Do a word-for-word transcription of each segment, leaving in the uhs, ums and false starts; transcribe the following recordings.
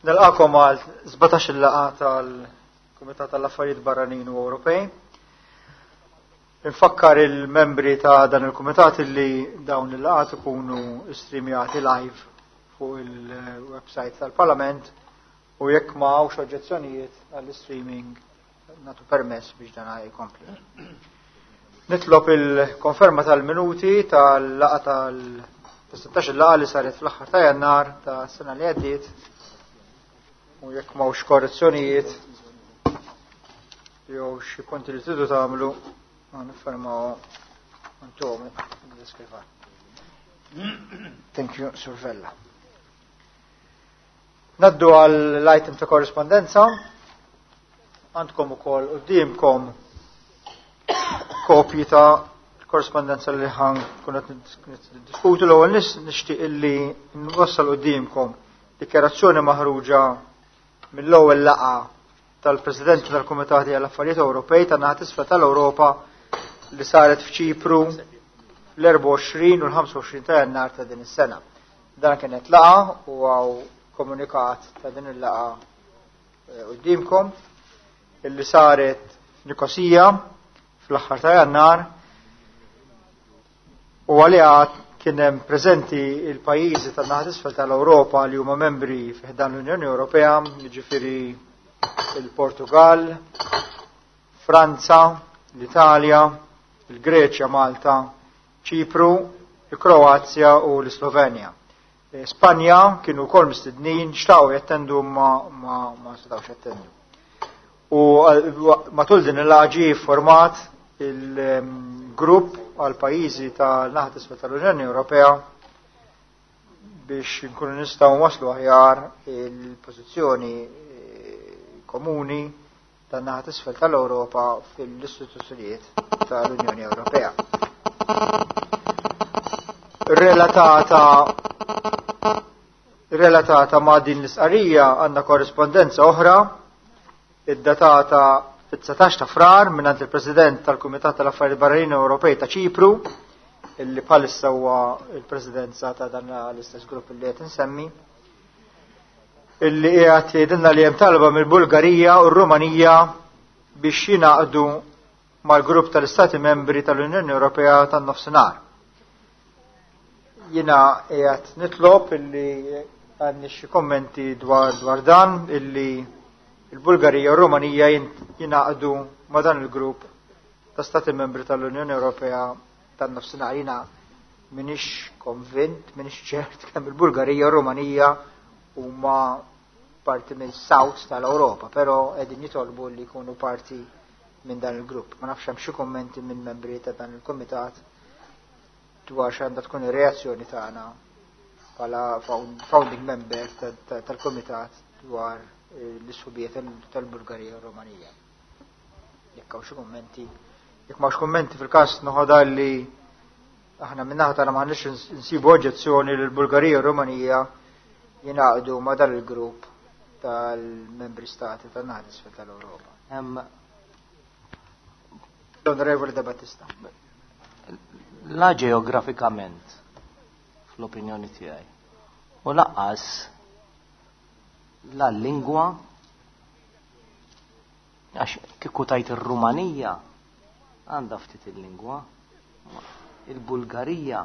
Nilqakom għal sbatax-il laqgħa tal-Kumitat tal-Affarijiet Barranin u Ewropej. Infakkar il-membri ta' dan il-Kumitat li dawn il-laqgħat ikunu streamjati live fuq il-website tal-Parlament u jekk ma hawnx oġġezzjonijiet għall-streaming nagħtu permess biex dan jkompli. Nitlob il-konferma tal-minuti tal-laqgħa tal-sittax il-laqgħa li saret fl-aħħar ta' Jannar ta' sena li għaddiet u jekk m'hawnx korrezzjonijiet jew xi punti li tridu tagħmlu ma niffermaw intom diskrivan. Thank you, Sur Vella. Naddu għall-item ta' korrespondenza. Għandkom ukoll quddiemkom kopji ta' korrespondenza li ħan kun qed niddiskutu. L-ewwel nixtieq illi nwassal quddiemkom dikjarazzjoni maħruġa mill-ewwel laqgħa tal-Presidenti tal-Kumitati għall-Affarijiet Ewropej tan-naħa t'isfel tal-Ewropa li saret f'Ċipru l-erbgħa u għoxrin u l-ħamsa u għoxrin ta' Jannar ta' din is-sena. Dan kienet laqgħa u hawn komunikat ta' din il-laqgħa quddiemkom illi saret Nikosija fl-aħħar ta' Jannar u għaliha kien hemm preżenti il-pajjiżi tan-naħa t'isfel tal-Ewropa li huma membri fi ħdan l-Unjoni Ewropea, jiġifieri il-Portugal, Franza, l-Italja, il-Greċja, Malta, Ċipru, il-Kroazja u l-Slovenja. Spanja kienu wkoll mistednin, xtaqu jattendu ma, ma, ma setgħux jattendu. U matul din il-laqgħa ġie format il-grupp għal pajjiżi tal-naħa t'isfel tal-Unjoni Ewropea biex nkunu nistgħu waslu aħjar il-pożizzjoni komuni tan-naħa t'isfel tal-Ewropa fil-istituzzjonijiet tal-Unjoni Ewropea. Relatata, relatata ma' din l-istqarrija għandna korrispondenza oħra id-datata fit-dsatax ta' Frar mingħand il-President tal-Kumitat tal-Affarijiet Barranin Ewropej ta' Ċipru, illi bħalissa huwa il-Presidenza ta' dan l-istess grupp li qed insemmi, illi qiegħed jgħidilna li hemm talba mill-Bulgarija u r-Rumanija biex jingħaqdu mal-grupp tal-Istati Membri tal-Unjoni Ewropea tan-Nofsinhar. Jiena qiegħed nitlob illi għandni xi kommenti dwar, dwar dan, illi il-Bulgarija u r-Rumanija jingħaqdu ma' dan il-grupp ta' Stati Membri tal-Unjoni Ewropea tan-Nofsinhar. Jiena m'iniex konvint, m'iniex ċert kemm il-Bulgarija u r-Rumanija huma parti mill-South tal-Ewropa, però qegħdin jitolbu li jkunu parti minn dan il-grupp. Ma nafx hemm xi kummenti minn membri ta' dan il-kumitat dwar x'għandha tkun ir-reazzjoni tagħna bħala founding member tal-kumitat dwar l-isħubijiet tal-Bulgarija u Rumanija. Jekk hawn xi kummenti, jekk m'hawnx kummenti fil-każ noħodha li aħna min-naħa tagħna m'għandniex nsibu oġġezzjoni li l-Bulgarija u Rumanija jingħaqdu ma' dan il-grupp tal-membri stati tan-naħa t'isfel tal-Ewropa. L-Onorevoli De Battista. La ġeografikament, fl-opinjoni tiegħi, u lanqas la lingwa, għax kieku tajt ir-Rumanija għandha ftit il-lingwa, il-Bulgarija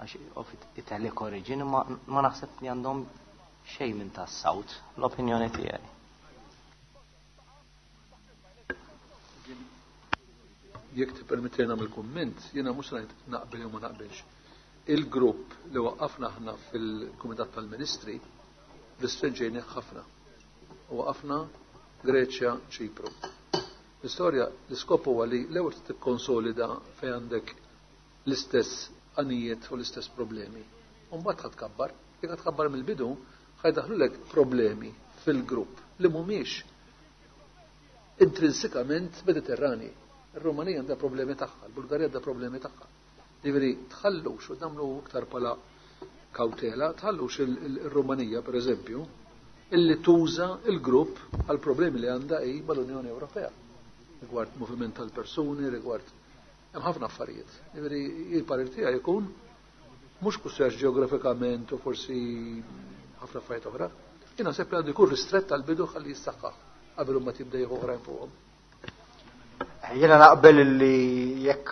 għax Italic origin ma, ma naħseb li għandhom xejn minn tas-South, l-opinjoni tiegħi. Jekk tippermetti nagħmel kumment, jiena mhux ngħid naqbel jew ma naqbilx. Il-grupp li waqqafna aħna fil-Kumitat tal-Ministri restrinġejnieh ħafna. U waqafna Greċja, Ċipru. L-istorja, l-iskop huwa li l-ewwel tikkonsolida fejn għandek l-istess għanijiet u l-istess problemi. U mbagħad ħa tkabbar. Jekk ħa tkabbar mill-bidu, ħajdaħlulek problemi fil-grupp li mhumiex intrinsikament Mediterrani. Ir-Rumanija għandha problemi tagħha, il-Bulgarija għandha problemi tagħha. Jiġifieri tħallux u nagħmlu iktar bħala kawtela, tħallux il-Rumanija per eżempju, illi tuża il-grupp għal problemi li għandha hi mal-Unjoni Ewropea. Rigward moviment tal-persuni, rigward hemm ħafna affarijiet. Jiġifieri il-parir tiegħi jkun mhux kussjax ġeografikament u forsi ħafna affarijiet oħra, Jien naħseb li għandu jkun ristrett għall-bidu ħalli jissaħħaħ qabel ma tibda jieħu oħrajn fuqhom. Jiena naqbel li jekk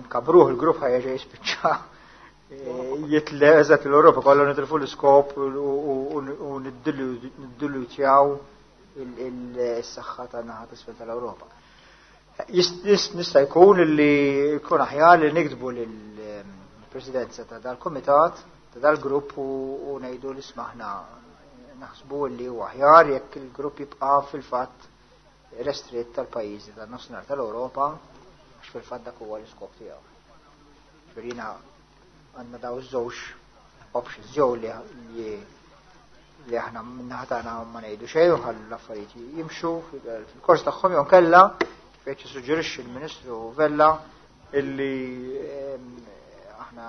nkabruh il-grupp ħa jerġa' jispiċċa jitle eżatt l-Ewropa kollha, nitilfu l-iskop u niddilutjaw il-saħħa tan-naħa t'isfel tal-Ewropa. Nista' jkun li jkun aħjar li niktbu lill-presidenza ta' dal-komitat, ta' dal-grupp, u ngħidu li isma', aħna naħsbu li huwa aħjar jekk il-grupp jibqa' fil-fatt restrit tal-pajjiżi tan-nofsinhar tal-Ewropa, għax fil-fatt dak huwa l-iskop tiegħu. Ġifieri għandna daw iż-żewġ options, jew li li aħna min-naħa tagħna ma ngħidu xejn u ħallu l-affarijiet jimxu fil-kors tagħhom, jew kella kif qed jissuġġerixxi l-Ministru Vella illi aħna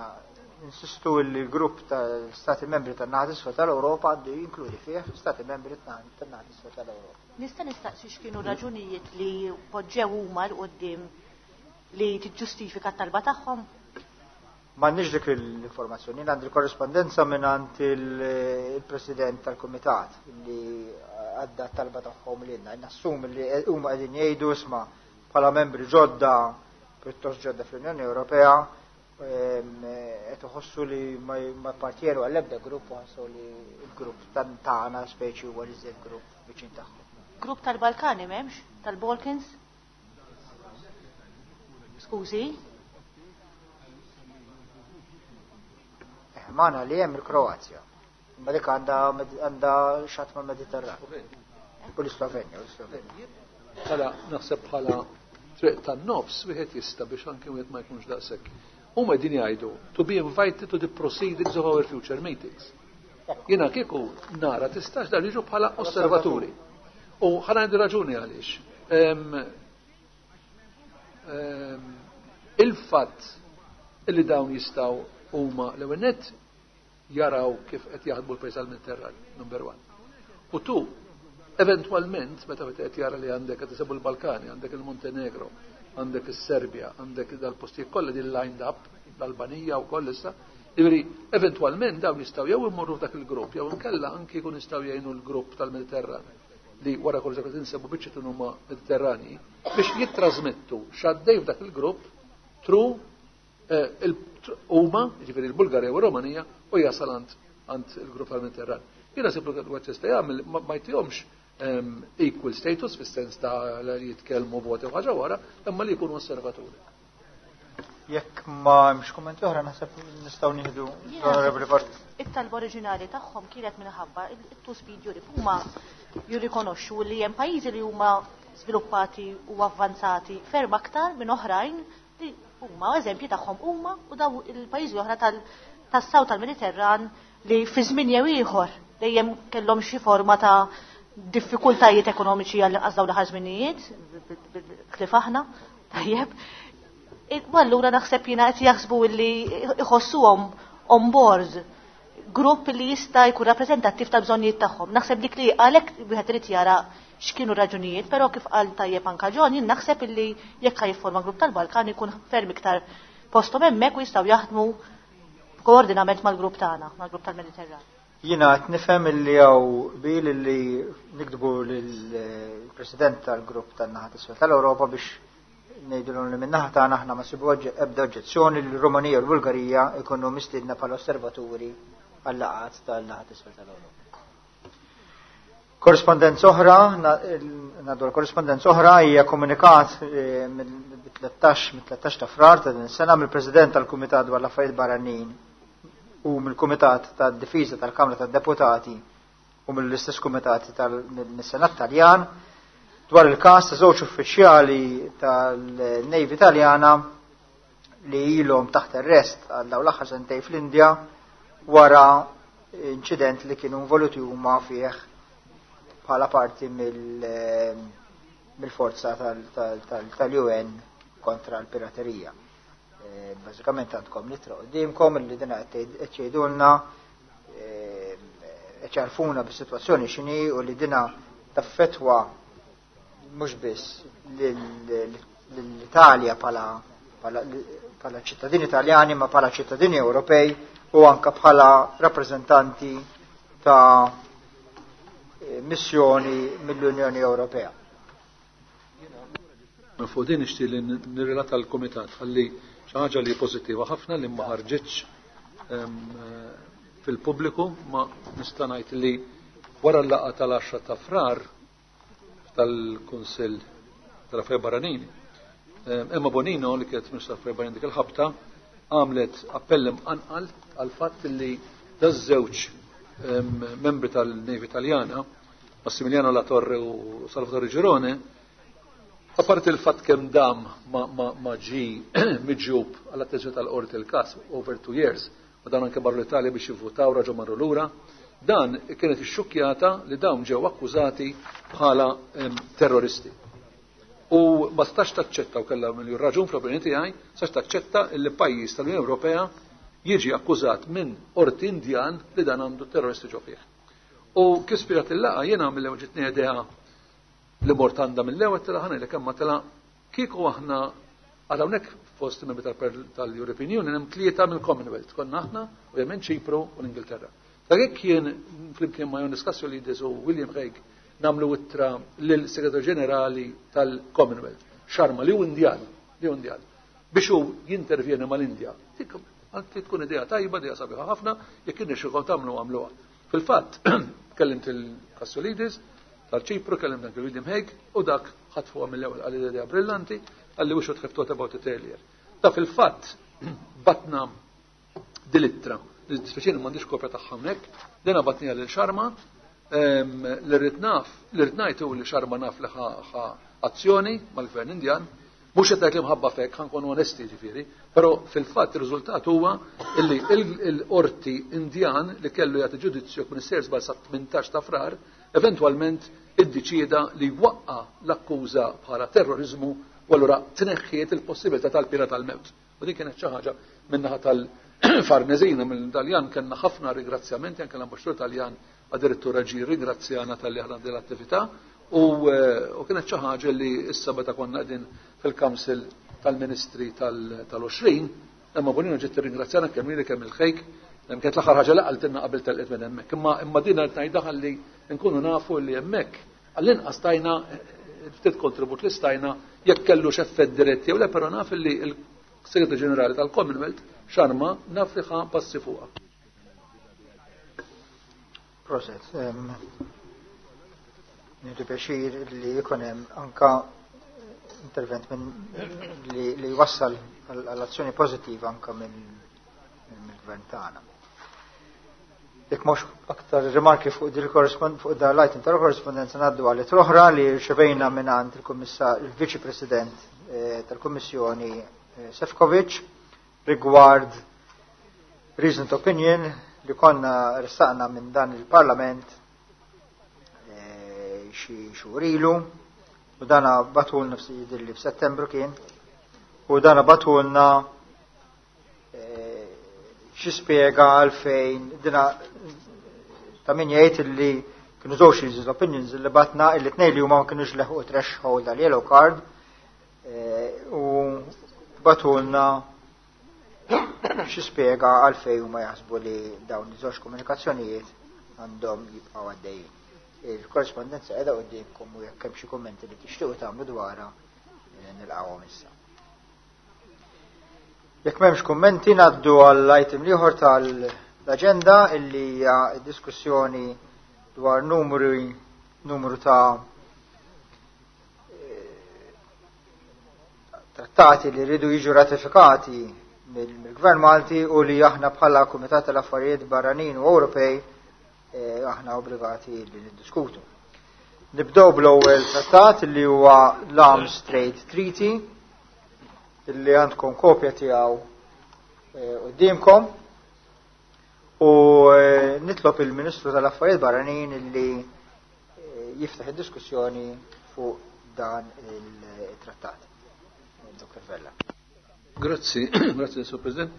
insistu li l-grupp tal-Stati membri tan-naħa t'isfel tal-Ewropa għandu jinkludi fih Stati membri tan-naħa t'isfel tal-Ewropa. Nista' nistaqsi x'kienu raġunijiet li poġġew huma 'l quddiem li tiġġustifika t-talba tagħhom? M'għandniex dik l-informazzjoni, għandi l-korrespondenza minn il-President tal-Kumitat li għadda talba tagħhom lilna. Nassum li huma qegħdin jgħidu, isma', bħala membri ġodda, pjuttost ġodda fl-Unjoni Ewropea, qed iħossu li ma appartjeru għall-ebda grupp u ħassu li l-grupp tagħna speċi huwa l grupp viċin tagħhom. Grupp tal-Balkani m'hemmx? Tal-Balkans? Skużi? Eh, magħna li hemm il-Kroazja. Imma dik għandha għandha xatt mal-Mediterran. U l-Slovenja, u l-Slovenja. Bħala naħseb bħala triq tan-nofs wieħed jista' biex anke wieħed ma jkunx daqshekk. Huma qegħdin jgħidu to be invited to the proceedings of our future meetings. Jiena kieku nara tistax dan jiġu bħala osservaturi. U ħa ngħidu raġuni għaliex. Il-fatt illi dawn jistgħu huma l-ewwel nett jaraw kif qed jaħdmu l-pajjiż għall-Mediterran, number one. U two, eventwalment, meta qed jara li għandek qed isebu l-Balkani, għandek il-Montenegro, għandek is-Serbja, għandek dal-postijiet kollha din lined up, l-Albanija u koll issa, jiġifieri eventwalment dawn jistgħu jew imorru f'dak il-grupp, jew inkella anki jkun jistgħu jgħinu l-grupp tal-Mediterran li wara kollox qed insebu biċċa huma Mediterrani biex jittrażmettu x'għaddej f'dak il-grupp through eh, huma, jiġifieri l-Bulgarija u r-Romanija, u jasal għand il-grupp tal-Mediterran. Jiena siblu għad jista' jagħmel ma jtihomx equal status fis-sens ta' li jitkellmu voti u ħaġa wara, imma li jkunu osservaturi. Jekk ma hemmx kummenti oħra, naħseb nistgħu nieħdu l-Onorevoli Part. It-talba oriġinali tagħhom kienet minħabba it-two speed Europe. Huma jirrikonoxxu li hemm pajjiżi li huma sviluppati u avvanzati ferm aktar minn oħrajn li huma eżempji tagħhom huma u daw il-pajjiżi oħra tas-South tal-Mediterran li fi żmien jew ieħor dejjem kellhom xi forma ta' diffikultajiet ekonomiċi għal dawn l-aħħar żminijiet, kif aħna, tajjeb. U allura naħseb jiena qed jaħsbu li iħossuhom on board grupp li jista' jkun rappreżentattiv tal-bżonnijiet tagħhom. Naħseb dik li għalhekk wieħed irid jara x'kienu raġunijiet, però kif qal tajjeb anka John, jien naħseb illi jekk jiffurma grupp tal-Balkan ikun ferm iktar posthom hemmhekk u jistgħu jaħdmu koordinament mal-grupp tagħna, mal-grupp tal-Mediterran. Jiena qed nifhem illi hawn qbil illi niktbu lill-President tal-grupp tan-naħa t'isfel tal-Ewropa biex ngħidulhom li min-naħa tagħna aħna ma sibu ebda oġġezzjoni li l-Rumanija u l-Bulgarija ikunu mistiedna bħala osservaturi għal-laqgħat tal-naħa t'isfel tal-Ewropa. Korrespondenza oħra, ngħaddu l-korrespondenza oħra, hija komunikat eh, mill-tlettax ta' Frar ta' din sena mill-President tal-Kumitat dwar l-Affarijiet Barranin u mill-Kumitat tad-Difiża tal-Kamra tad-Deputati u mill-istess Kumitat tal-Senat Taljan dwar il-każ ta' żewġ uffiċjali tal-Navy Taljana li ilhom taħt arrest għal dawn l-aħħar sentej fl-Indja wara inċident li kienu involuti huma fih bħala parti mill-forza tal-U N kontra l-piraterija. Eh, bażikament għandkom l-ittra quddiemkom li dina qed jgħidulna, eh, qed jgħarrfuna bis-sitwazzjoni x'inhi u li dina taffetwa mhux biss l-Italja bħala ċittadini Italjani ma bħala ċittadini Ewropej u anka bħala rappreżentanti ta' missjoni mill-Unjoni Ewropea. Fuq din nixtieq li nirrelata l-Kumitat ħalli xi ħaġa li pożittiva ħafna li ma ħarġitx fil-pubbliku, ma nista' ngħid li wara l-laqgħa tal-għaxra ta' Frar tal-Kunsill tal-Affarijiet Barranin, Emma Bonino li kienet Ministru tal-Affarijiet Barranin dik il-ħabta għamlet appell imqanqal għal fatt li daż-żewġ membri tal-Navy Taljana, Massimiliano La Torre u Salvatore Girone, apparti il-fatt kemm dam ma, ma, ma ġi miġjub għall-attenzjoni tal-qorti il-każ over two years, u dan anke marru l-Italja biex jivvutaw raġu marru lura, dan kienet ixxukkjata li dawn ġew akkużati bħala terroristi. U ma stax taċċetta, u kellha miljun raġun fl-opinjoni tiegħi, stax taċċetta li pajjiż tal-Unjoni Ewropea jiġi akkużat minn qorti Indjan li dan għandu terroristi ġo fih. U kif spirat il-laqgħa jiena mill-ewwel ġitni idea li mort għandha mill-ewwel tela ħana li kemm ma tela kieku aħna għal hawnhekk fost membri tal-European Union hemm tlieta mill-Commonwealth, konna aħna u hemm Ċipru u l-Ingilterra. Ta' jekk jien flimkien ma' Ioannis Kasoulides u William Hague nagħmlu ittra lill-Segretarju Ġenerali tal-Commonwealth, Sharma, li hu Indjan, li hu Indjan, biex hu jintervjeni mal-Indja. Tkun idea tajba, idea sabiħa ħafna, jekk irnexxielkom tagħmlu għamluha. Fil-fatt, kellimt il-Kasoulides tal-Ċipru, kellimt anke William Hague, u dak ħatfuha mill-ewwel qal idea brillanti, qalli we should have thought about it earlier. Ta' fil-fatt batna dil-ittra, speċjali m'għandix kopja tagħha hawnhekk, dina batnija lil Sharma, li rrid naf, li rrid ngħid hu li Sharma naf li ħa azzjoni mal-Gvern Indjan, mhux qed ngħid li mħabba fek, ħa nkunu onesti ġifieri, però fil-fatt ir-riżultat huwa illi l-qorti Indjan li kellu jagħti ġudizzju kun isser żball sa tmintax ta' Frar, eventwalment iddeċieda li waqqa l-akkuża bħala terrorizmu u allura tneħħiet il-possibilità tal-pena tal-mewt. U din kienet xi ħaġa min-naħa tal-Farnesina mill-Taljan kellna ħafna ringrazzjamenti, anke l-ambaxxatur Taljan addirittura ġie ringrazzjana tal-li aħna din l-attività, u, u kienet xi ħaġa li issa meta konna qegħdin fil-Council tal-Ministri tal-għoxrin, Emma Bonino ġiet tirringrazzjana kemm lili kemm il-Hague, kienet l-aħħar ħaġa li qaltilna qabel telqet minn hemmhekk. Imma imma din qed ngħidha ħalli nkunu nafu li hemmhekk għall-inqas tajna ftit kontribut li stajna jekk kellu x'effett dirett jew le, però naf li l-Segretarju Ġenerali tal-Commonwealth Sharma naf li ħa passi fuqha. Proset. Nieħdu pjaċir li jkun hemm anka intervent minn li, li wassal għall-azzjoni pożittiva anka minn mill-gvern tagħna. Jekk mhux aktar rimarki fuq dil fuq da l-item tal-korrespondenza, ngħaddu għal oħra li rċevejna mingħand il-Kummissar il-Viċi President eh, tal-Kummissjoni eh, Sefcovic rigward reasoned opinion li konna ressaqna minn dan il-Parlament eh, xi xhur ilu, u dana bagħtulna li f'Settembru kien, u dana bagħtulna xi spjega għalfejn dina ta' min jgħid li kienu żewġ reasoned opinions li batna, illi tnejn li huma ma kinux leħqu threshold għal yellow card, u bagħtulna xi spjega għalfejn huma jaħsbu li dawn iż-żewġ komunikazzjonijiet għandhom jibqgħu għaddejjin. Il-korrespondenza qiegħda quddiemkom u jekk hemm xi kummenti li tixtiequ tagħmlu dwarha, nilqgħuhom issa. Jekk m'hemmx kummenti, ngħaddu għall-item l-ieħor tal-aġenda, illi hija diskussjoni dwar numru numru ta' trattati li rridu jiġu ratifikati mill-Gvern Malti u li aħna bħala Kumitat tal-Affarijiet Barranin u Ewropej aħna obbligati li niddiskutu. Nibdew bl-ewwel trattat, li huwa l-Arms Trade Treaty, illi għandkom kopja tiegħu quddiemkom, u nitlob il-Ministru tal-Affarijiet Barranin illi jiftaħ id-diskussjoni fuq dan il-trattat. Doktor Vella. Grazzi, grazzi, Sur President.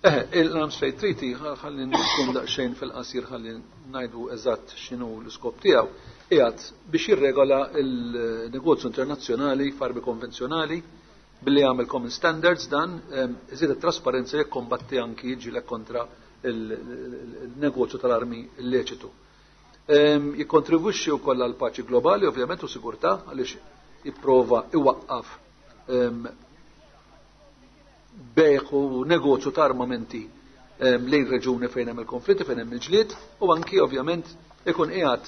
Eh, l-Arms Trade Treaty, ħalli nkun daqsxejn fil-qasir ħalli ngħidu eżatt x'inhu l-iskop tiegħu, qiegħed biex jirregola il-negozju internazzjonali f'armi konvenzjonali billi jagħmel common standards, dan iżid it-trasparenza, jikkombatti anki jiġieled kontra il-negozju tal-armi illeċitu. Jikkontribwixxi wkoll għal paċi globali, ovvjament, u sigurtà, għaliex jipprova iwaqqaf bejgħ u negozju ta' armamenti lejn reġuni fejn hemm il-konflitti, fejn hemm il-ġlied, u anki ovvjament ikun qiegħed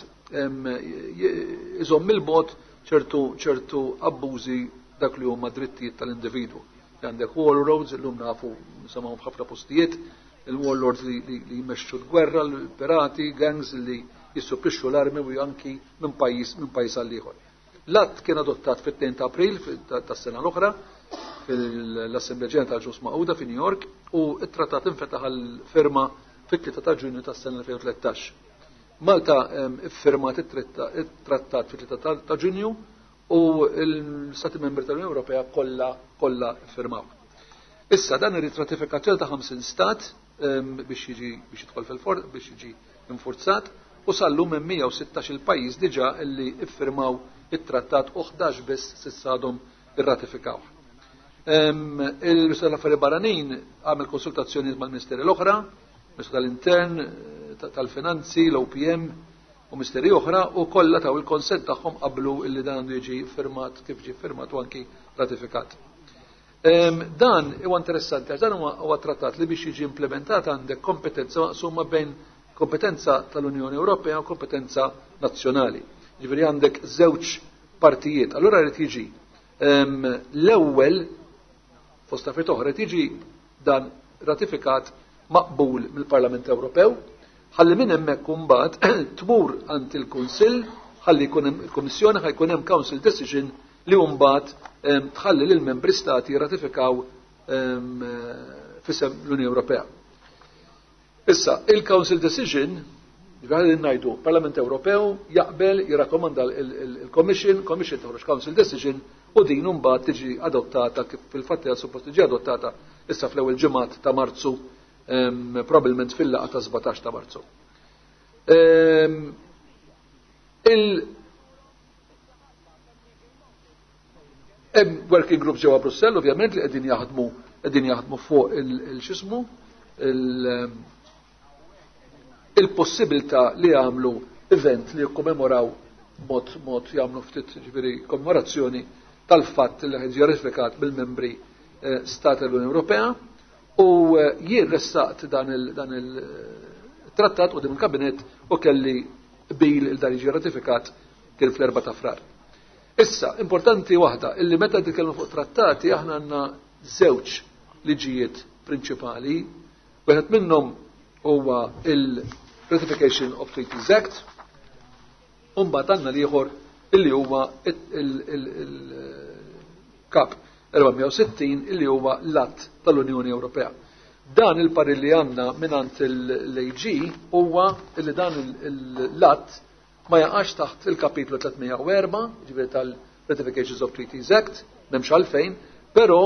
iżomm il-bogħod ċertu ċertu abbużi dak li huma drittijiet tal-individwu. Għandek warlords, illum nafu nisimgħu f'ħafna postijiet, il-warlords li, li, li jmexxu l-gwerra, l-pirati, gangs li jissupplixxu l-armi u anki minn pajjiż minn pajjiż għal ieħor. L-att kien adottat fit-tnejn ta' April tas-sena l-oħra fil-Assemblea Ġenerali tal-Ġnus Magħquda fi New York, u t-trattat infetaħ għal-firma fit-tlieta ta' Ġunju tas-sena elfejn u tlettax. Malta iffirmat it-trattat fit-tlieta ta' Ġunju u l-Stati Membri tal-Unjoni Ewropea kollha kollha iffirmaw. Issa dan irid ratifikazzjoni ta' ħamsin stat biex jiġi biex jidħol fil-for biex jiġi infurzat, u sal-lum hemm mija u sittax il pajjiż diġà li iffirmaw it-trattat u ħdax biss s'issa għadhom irratifikawh. Il-Ministru tal-Affarijiet Barranin għamel konsultazzjonijiet mal-Ministeri l-oħra, Ministru tal-Intern, tal-Finanzi, l-O P M u ministeri oħra, u kollha taw il-konsent tagħhom qablu illi dan għandu jiġi firmat kif ġie firmat u anki ratifikat. Dan huwa interessanti għax dan huwa trattat li biex jiġi implementat għandek kompetenza maqsuma bejn kompetenza tal-Unjoni Ewropea u kompetenza nazzjonali. Ġifieri għandek żewġ partijiet. Allura jrid jiġi l-ewwel fost affarijiet oħra jiġi dan ratifikat maqbul mill-Parlament Ewropew, ħalli minn hemmhekk imbagħad tmur għand il-Kunsill, ħalli jkun hemm il-Kummissjoni, ħa jkun hemm Council Decision li mbagħad tħalli lil membri stati jirratifikaw f'isem l-Unjoni Ewropea. Issa, il-Council Decision, ġifieri ngħidu, Parlament Ewropew jaqbel jirrakkomanda il-Commission, Commission toħroġ Council Decision u din mbagħad tiġi adottata kif fil-fatt hija suppost tiġi adottata issa fl-ewwel ġimgħat ta' Marzu, probabbilment fil-laqgħa ta' sbatax ta' Marzu. Il hemm working groups ġewwa Brussell ovvjament li qegħdin jaħdmu qegħdin jaħdmu fuq il-xismu il-possibilità li jagħmlu event li jikkommemoraw mod mod jagħmlu ftit ġifieri kommemorazzjoni tal-fatt li ħeġ ratifikat mill-membri stat tal-Unjoni Ewropea, u jien ressaqt dan il-trattat quddiem il-Kabinett u kelli qbil il dan jiġi ratifikat kien fl-erba' ta' Frar. Issa, importanti waħda, illi meta nitkellmu fuq trattati aħna għandna żewġ liġijiet prinċipali, wieħed minnhom huwa il-Ratification of Treaties Act, u mbagħad għandna l-ieħor illi huwa il-Kap erba' u sittin illi huwa l-Att tal-Unjoni Ewropea. Dan il-parir li għandna mingħand l-A G huwa illi dan l-att ma jaqax taħt il-kapitlu tliet u erba', ġifieri tal-Ratifications of Treaties Act, m'hemmx għalfejn, però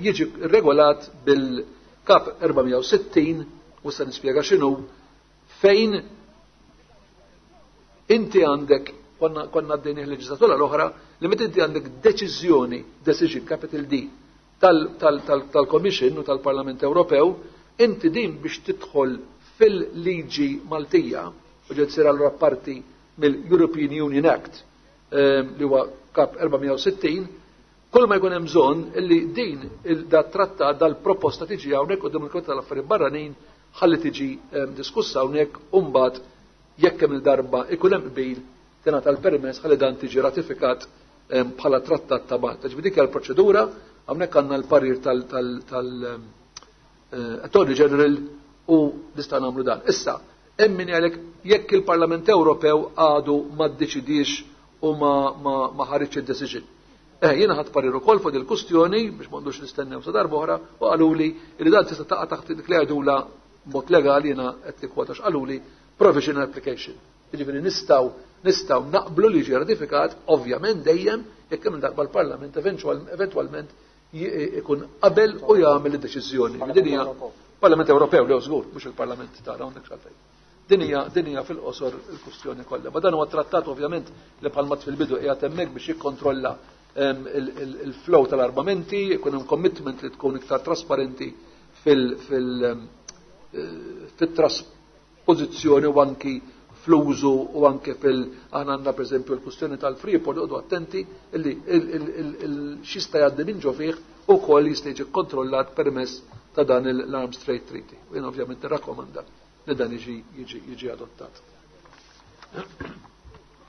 jiġi regolat bil-Kap erba' u sittin, u se nispjega x'inhu, fejn inti għandek, konna, konna għaddejni l-leġislatura l-oħra, li meta inti għandek deċiżjoni, decision, capital D, tal-, tal-, tal-, tal-Commission u tal-Parlament Ewropew, inti din biex tidħol fil-liġi Maltija, u ġed sir allura parti mill-European Union Act, ehm, li huwa Kap erba' u sittin, kull ma jkun hemm bżonn illi din il-, da trattat dal-proposta tiġi hawnhekk quddiem il-Kumitat tal-Affarijiet Barranin ħalli tiġi, ehm, diskussa hawnhekk u mbagħad jekk hemm il-darba ikun hemm qbil tingħata l-permess ħalli dan tiġi ratifikat, ehm, bħala trattat ta' Malta. Ġifieri dik hija l-proċedura, hawnhekk għandna l-parir tal-, tal-, tal, eh, Attorney General u nista' nagħmlu dan. Issa, hemm min jgħidlek jekk il-Parlament Ewropew għadu ma ddeċidix u ma, ma, ma ħareġ id-decision. Eh, jiena ħadd parir ukoll fuq il-kustjoni biex m'għandux nistennew sa darba oħra u qaluli li dan tista' taqa' taħt dik li jgħidula mod legali, jiena qed nikkwota x'qaluli, provisional application. Jiġifieri nistgħu, nistgħu naqblu li jiġi ratifikat, ovvjament dejjem jekk hemm darba l-Parlament eventual-, eventwalment j-, ikun qabel u jagħmel id-deċiżjoni. Din hija Parlament Ewropew, lew żgur, mhux il-Parlament tagħna hawnhekk x'għalfejn. Din hija, din hija fil-qosor il-kwistjoni kollha. Ma dan huwa trattat ovvjament li bħalma fil-bidu qiegħed hemmhekk biex jikkontrolla, ehm, il-, il-, il-flow tal-armamenti, ikun hemm commitment li tkun iktar trasparenti fil-, fil-, ehm, eh, fit-trasposizzjoni u anki fl-użu u anke fil aħna għandna pereżempju l-kwistjoni tal-Freeport, oqgħodu attenti illi x'jista' jgħaddi minn ġo fih ukoll jista' jiġi kkontrollat permezz ta' dan l-Arms Trade Treaty. U jien ovvjament nirrakkomanda li dan jiġi jiġi adottat.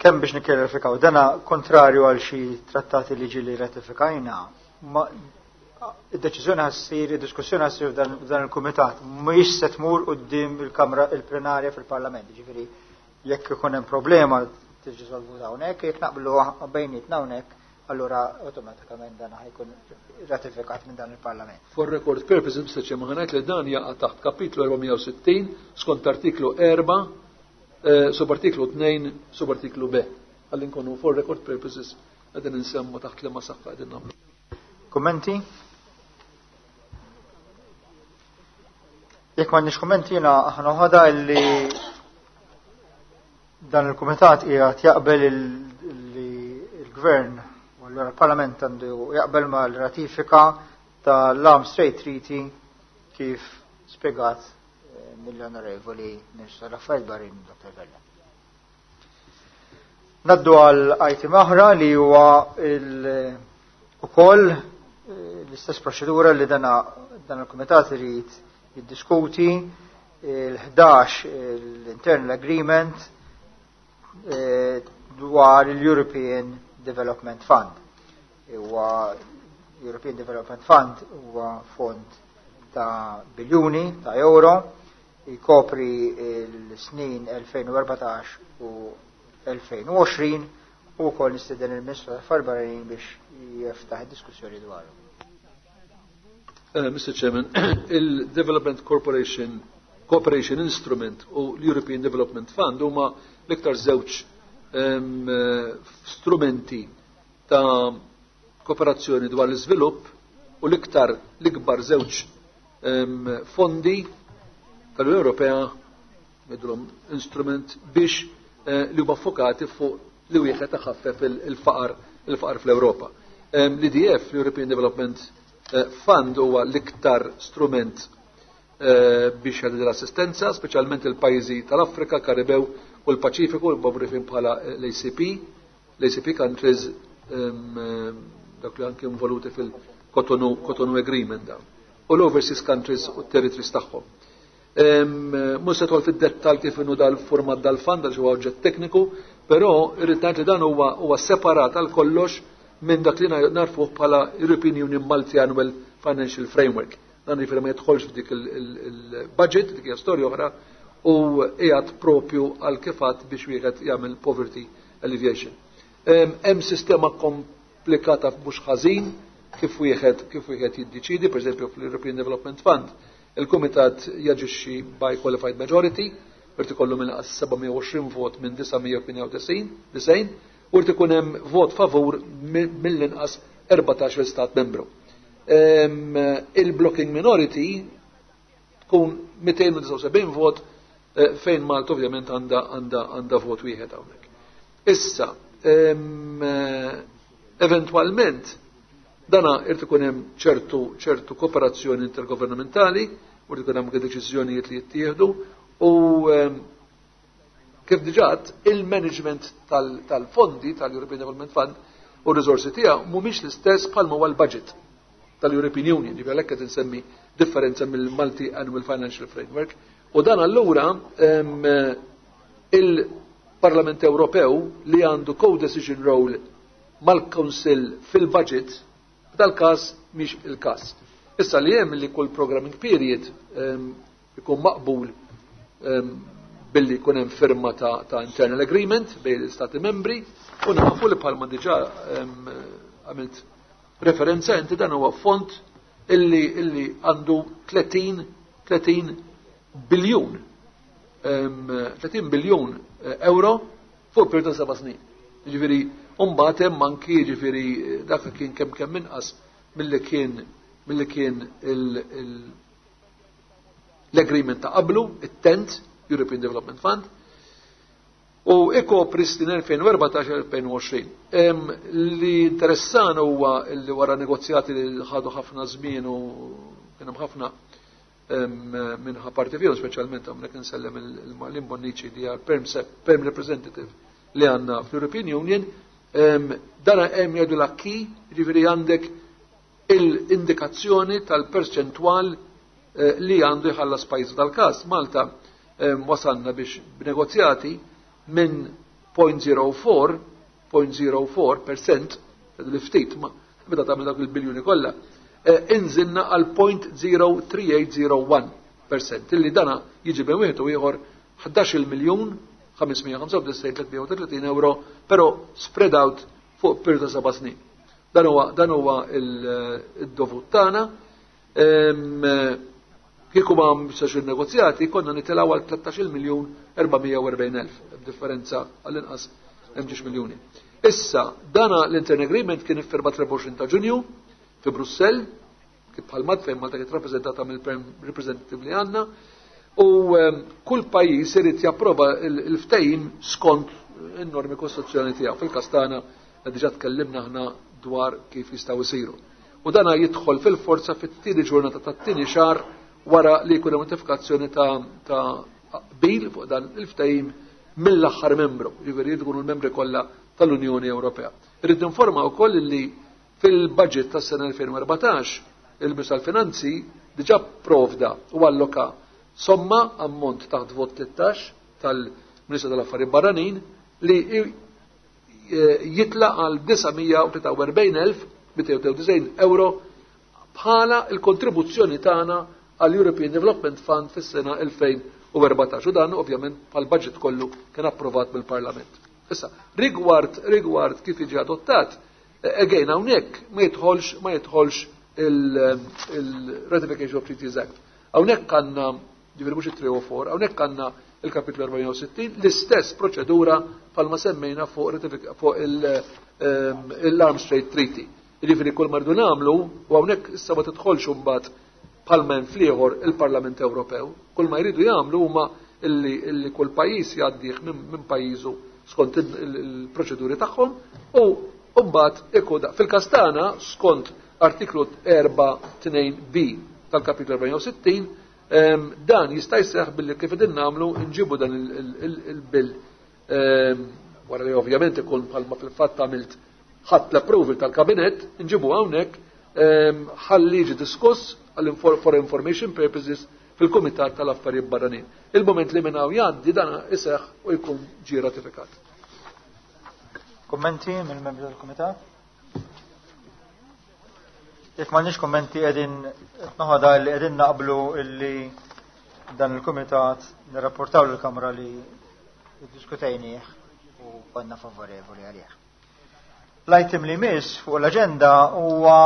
Kemm biex nikkjarifikaw, dana kontrarju għal xi trattati li ġieli ratifikajna, ma id-deċiżjoni ħa ssir, id-diskussjoni ħa ssir f'dan il-kumitat, mhijiex se tmur quddiem il-Kamra il-plenarja fil-Parlament, ġifieri jekk ikun hemm problema tiġi solvuta hawnhekk, jekk naqblu bejnietna hawnhekk, allura awtomatikament dan ħa jkun ratifikat minn dan il-Parlament. For record purposes, Mister Chairman, ħa ngħid li dan jaqa' taħt kapitlu erba' mija u sittin skont artiklu erba' eh, subartiklu tnejn subartiklu B. Għalli nkunu for record purposes qegħdin insemmu taħt liema saqaf qegħdin nagħmlu. Kommenti? Jekk m'għandniex kummenti, jiena aħna ħada li dan il-kumitat qiegħed jaqbel li il-Gvern u allura l-Parlament għandu jaqbel mal-ratifika tal-Arms Trade Treaty kif spjegat eh, mill-Onorevoli Ministru tal-Affarijiet Barranin Doktor Vella. Ngħaddu għal item oħra li huwa ukoll eh, l-istess proċedura li dana dan il-kumitat irid jiddiskuti il-ħdax l-Internal Agreement eh, dwar il-European Development Fund. Huwa European Development Fund huwa fond ta' biljuni ta' euro, jkopri l-snin elfejn u erbatax u elfejn u għoxrin u wkoll nistieden il-Ministru tal-Affarijiet Barranin biex jiftaħ id-diskussjoni dwaru. Uh, Mister Chairman, il-Development Corporation Cooperation Instrument u l-European Development Fund huma l-iktar żewġ um, strumenti ta' kooperazzjoni dwar l-iżvilupp u l-iktar l-ikbar żewġ um, fondi tal-Unjoni Ewropea, ngħidulhom instrument, biex uh, li huma fokati fuq li wieħed iħaffef il-faqar il-faqar fl-Ewropa. Um, L-E D F, l-European Development eh, Fund, huwa l-iktar strument eh, biex jagħti l-assistenza, speċjalment il-pajjiżi tal-Afrika, Karibew u l-Paċifiku, l-magħrufin bħala l-A C P, l-A C P countries, dak li anke involuti fil-Cotonou Cotonou Agreement dawn. U l-overseas countries u territories tagħhom. Mhux se fid-dettal kif inhu dal-format dal-fund għal huwa oġġett tekniku, però irrid ngħid li dan huwa huwa separat għal kollox minn dak li narfuh bħala European Union Multi-Annual Financial Framework. Dan jiġifieri ma jidħolx f'dik il-budget, dik hija storja oħra, u qiegħed propju għal kifat biex wieħed jagħmel poverty alleviation. Hemm sistema komplikata mhux ħażin kif wieħed kif wieħed jiddeċidi, pereżempju fl-European Development Fund, il-Kumitat jaġixxi by qualified majority, irid ikollu minn seba' mija u għoxrin vot minn disa' mija u tmienja u disgħin, u jrid ikun hemm vot favur mill-inqas erbatax stat membru. Il-blocking minority tkun mitejn u disgħa u sebgħin vot, eh, fejn Malta ovvjament għandha għandha għandha vot wieħed hawnhekk. Issa, eventualment dana irid ikun hemm ċertu ċertu kooperazzjoni intergovernamentali, u irid ikun hemm deċiżjonijiet li jittieħdu u, kif diġà, il-management tal-fondi tal-European Development Fund u r-riżorsi tiegħu mhumiex l-istess bħalma huwa l-budget tal-European Union, ġifieri għalhekk qed insemmi differenza mill-Multi Annual Financial Framework. U dan allura il-Parlament Ewropew li għandu co-decision role mal-Council fil-budget, dal-każ mhix il-każ. Issa li hemm li kull programming period ikun maqbul billi jkun hemm firma ta', ta internal agreement bejn l-Stati membri, u nafu li bħalma diġà għamilt referenza inti, dan huwa fond illi illi għandu tletin tletin biljun tletin biljun eh, euro fuq periodu ta' seba' snin. Ġifieri mbagħad hemm anki, ġifieri dak kien kemm kemm inqas milli kien milli kien l-agreement ta' qablu, it-tenth European Development Fund, u ikopri snin elfejn u erbatax elfejn u għoxrin. Li interessan huwa li wara negozjati li ħadu ħafna żmien u kien hemm ħafna Minn ħa parti fihom, speċjalment hawnhekk insellem il-Marlene Bonnici li hija perm representative li għandna fl-European Union, dara hemm jgħidu l-acquis, jiġifieri għandek l-indikazzjoni tal-perċentwal li għandu jħallas pajjiż dal-każ. Malta wasalna biex b'negozjati minn zero punt zero quattro, zero punt zero quattro percent, li ftit ma meta tagħmel dak il-biljuni kollha, inżilna għal zero punt zero tlieta tmiem zero wieħed percent, illi dana jiġi bejn wieħed u ieħor ħdax-il miljun ħames mija ħamsa u disgħin tliet mija u tletin euro, però spread out fuq periodu ta' seba' snin. Dan huwa dan huwa il-dovut tagħna. Kieku ma msax il-negozjati, konna nitilgħu għal tlettax-il miljun erba' mija u erbgħin elf, b'differenza għall-inqas hemm ġiex miljuni. Issa, dana l-Interim Agreement kien iffirmat erbgħa u għoxrin ta' Ġunju fi Brussell, kif bħal mat fejn Malta kienet rappreżentata mill-Perm Representative li għandna, u kull pajjiż irid japprova il-ftehim skont in-normi kostituzzjonali tiegħu. Fil-każ tagħna diġà tkellimna aħna dwar kif jistgħu jsiru. U dana jidħol fil-forza fit-tieni ġurnata tat-tieni xahar wara li jkun hemm notifikazzjoni ta' ta' qbil fuq dan il-ftehim mill-aħħar membru, jiġifieri jkunu l-membri kollha tal-Unjoni Ewropea. Irrid ninforma wkoll li fil-budget tas-sena elfejn u erbatax il-Ministru tal-Finanzi diġà provda u alloka somma ammont taħt vot tlettax tal-Ministru tal-Affarijiet Barranin li jitla għal disa' mija u tlieta u erbgħin elf mitejn u disgħin euro bħala il-kontribuzzjoni tagħna għall European Development Fund fis-sena elfejn u erbatax. U dan ovvjament bħal budget kollu kien approvat mill-Parlament. Issa, rigward rigward kif jiġi adottat, again hawnhekk ma jidħolx ma jidħolx il-Ratification of Treaties Act. Hawnhekk għandna, ġifieri mhux it-tlieta u erbgħin, hawnhekk għandna il-kapitlu erbgħa u sittin, l-istess proċedura bħalma semmejna fuq fuq l-Arms Trade Treaty. Jiġifieri kull ma rridu nagħmlu, u hawnhekk issa ma tidħolx imbagħad bħalma hemm fl-ieħor il-Parlament Ewropew, kull ma jridu jagħmlu huma illi, illi kull pajjiż jgħaddih minn min pajjiżu skont il-proċeduri tagħhom u mbagħad ikun fil-każ tagħna skont artiklu erbgħa tnejn B tal-kapitlu erbgħa u sittin, dan jista' jseħħ billi kif qegħdin nagħmlu nġibu dan il-bill wara li ovvjament ikun bħalma fil-fatt għamilt ħadd l-approval tal-kabinett, nġibu hawnhekk ħalli jiġi diskuss for information purposes fil-Kumitat tal-Affarijiet Barranin. Il-moment li minn hawn jgħaddi dan iseħħ u jkun ġie ratifikat. Kommenti mill-membri tal-Kumitat? Jekk m'għandniex kommenti, qegħdin noħodha li qegħdin naqblu illi dan il-Kumitat nirrapportaw lill-Kamra li iddiskutejnieh u konna favorevoli għalih. L-item li miss fuq l-aġenda huwa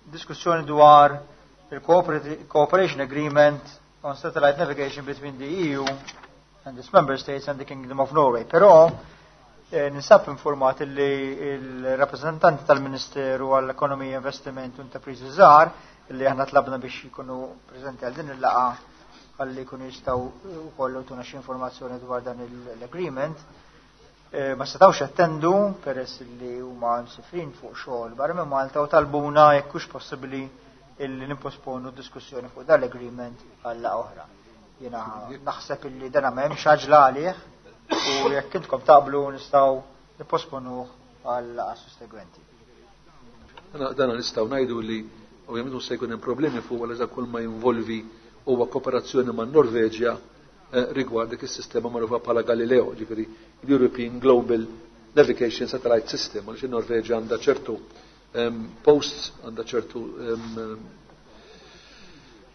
diskussjoni dwar il-Cooperation Agreement on Satellite Navigation between the E U and its member states and the Kingdom of Norway. Però eh, ninsab informat li il-rappresentanti tal-Ministeru għall-Ekonomija, Investiment u Intrapriżi Żgħar li aħna tlabna biex jkunu preżenti għal din il-laqgħa għalli jkunu jistgħu wkoll jtuna xi informazzjoni dwar dan l-agreement. Eh, ma setawx attendu peress li huma msifrin fuq xogħol barra minn Malta u talbuna jekk hux possibbli illi nimposponu diskussjoni fuq dan l-agreement għal oħra. Jiena naħseb illi dana m'hemmx għaġla għalih u jekk intkom taqblu nistgħu nipposponuh għal laqgħa sussegwenti. Dana nistgħu ngħidu li ovvjament mhux se jkun hemm problemi fuq għal kull ma jinvolvi huwa kooperazzjoni man Norveġja eh, rigward dik is-sistema magħrufa bħala Galileo, ġifieri l-European Global Navigation Satellite System, għaliex in-Norveġja għandha ċertu um, posts, għandha ċertu um,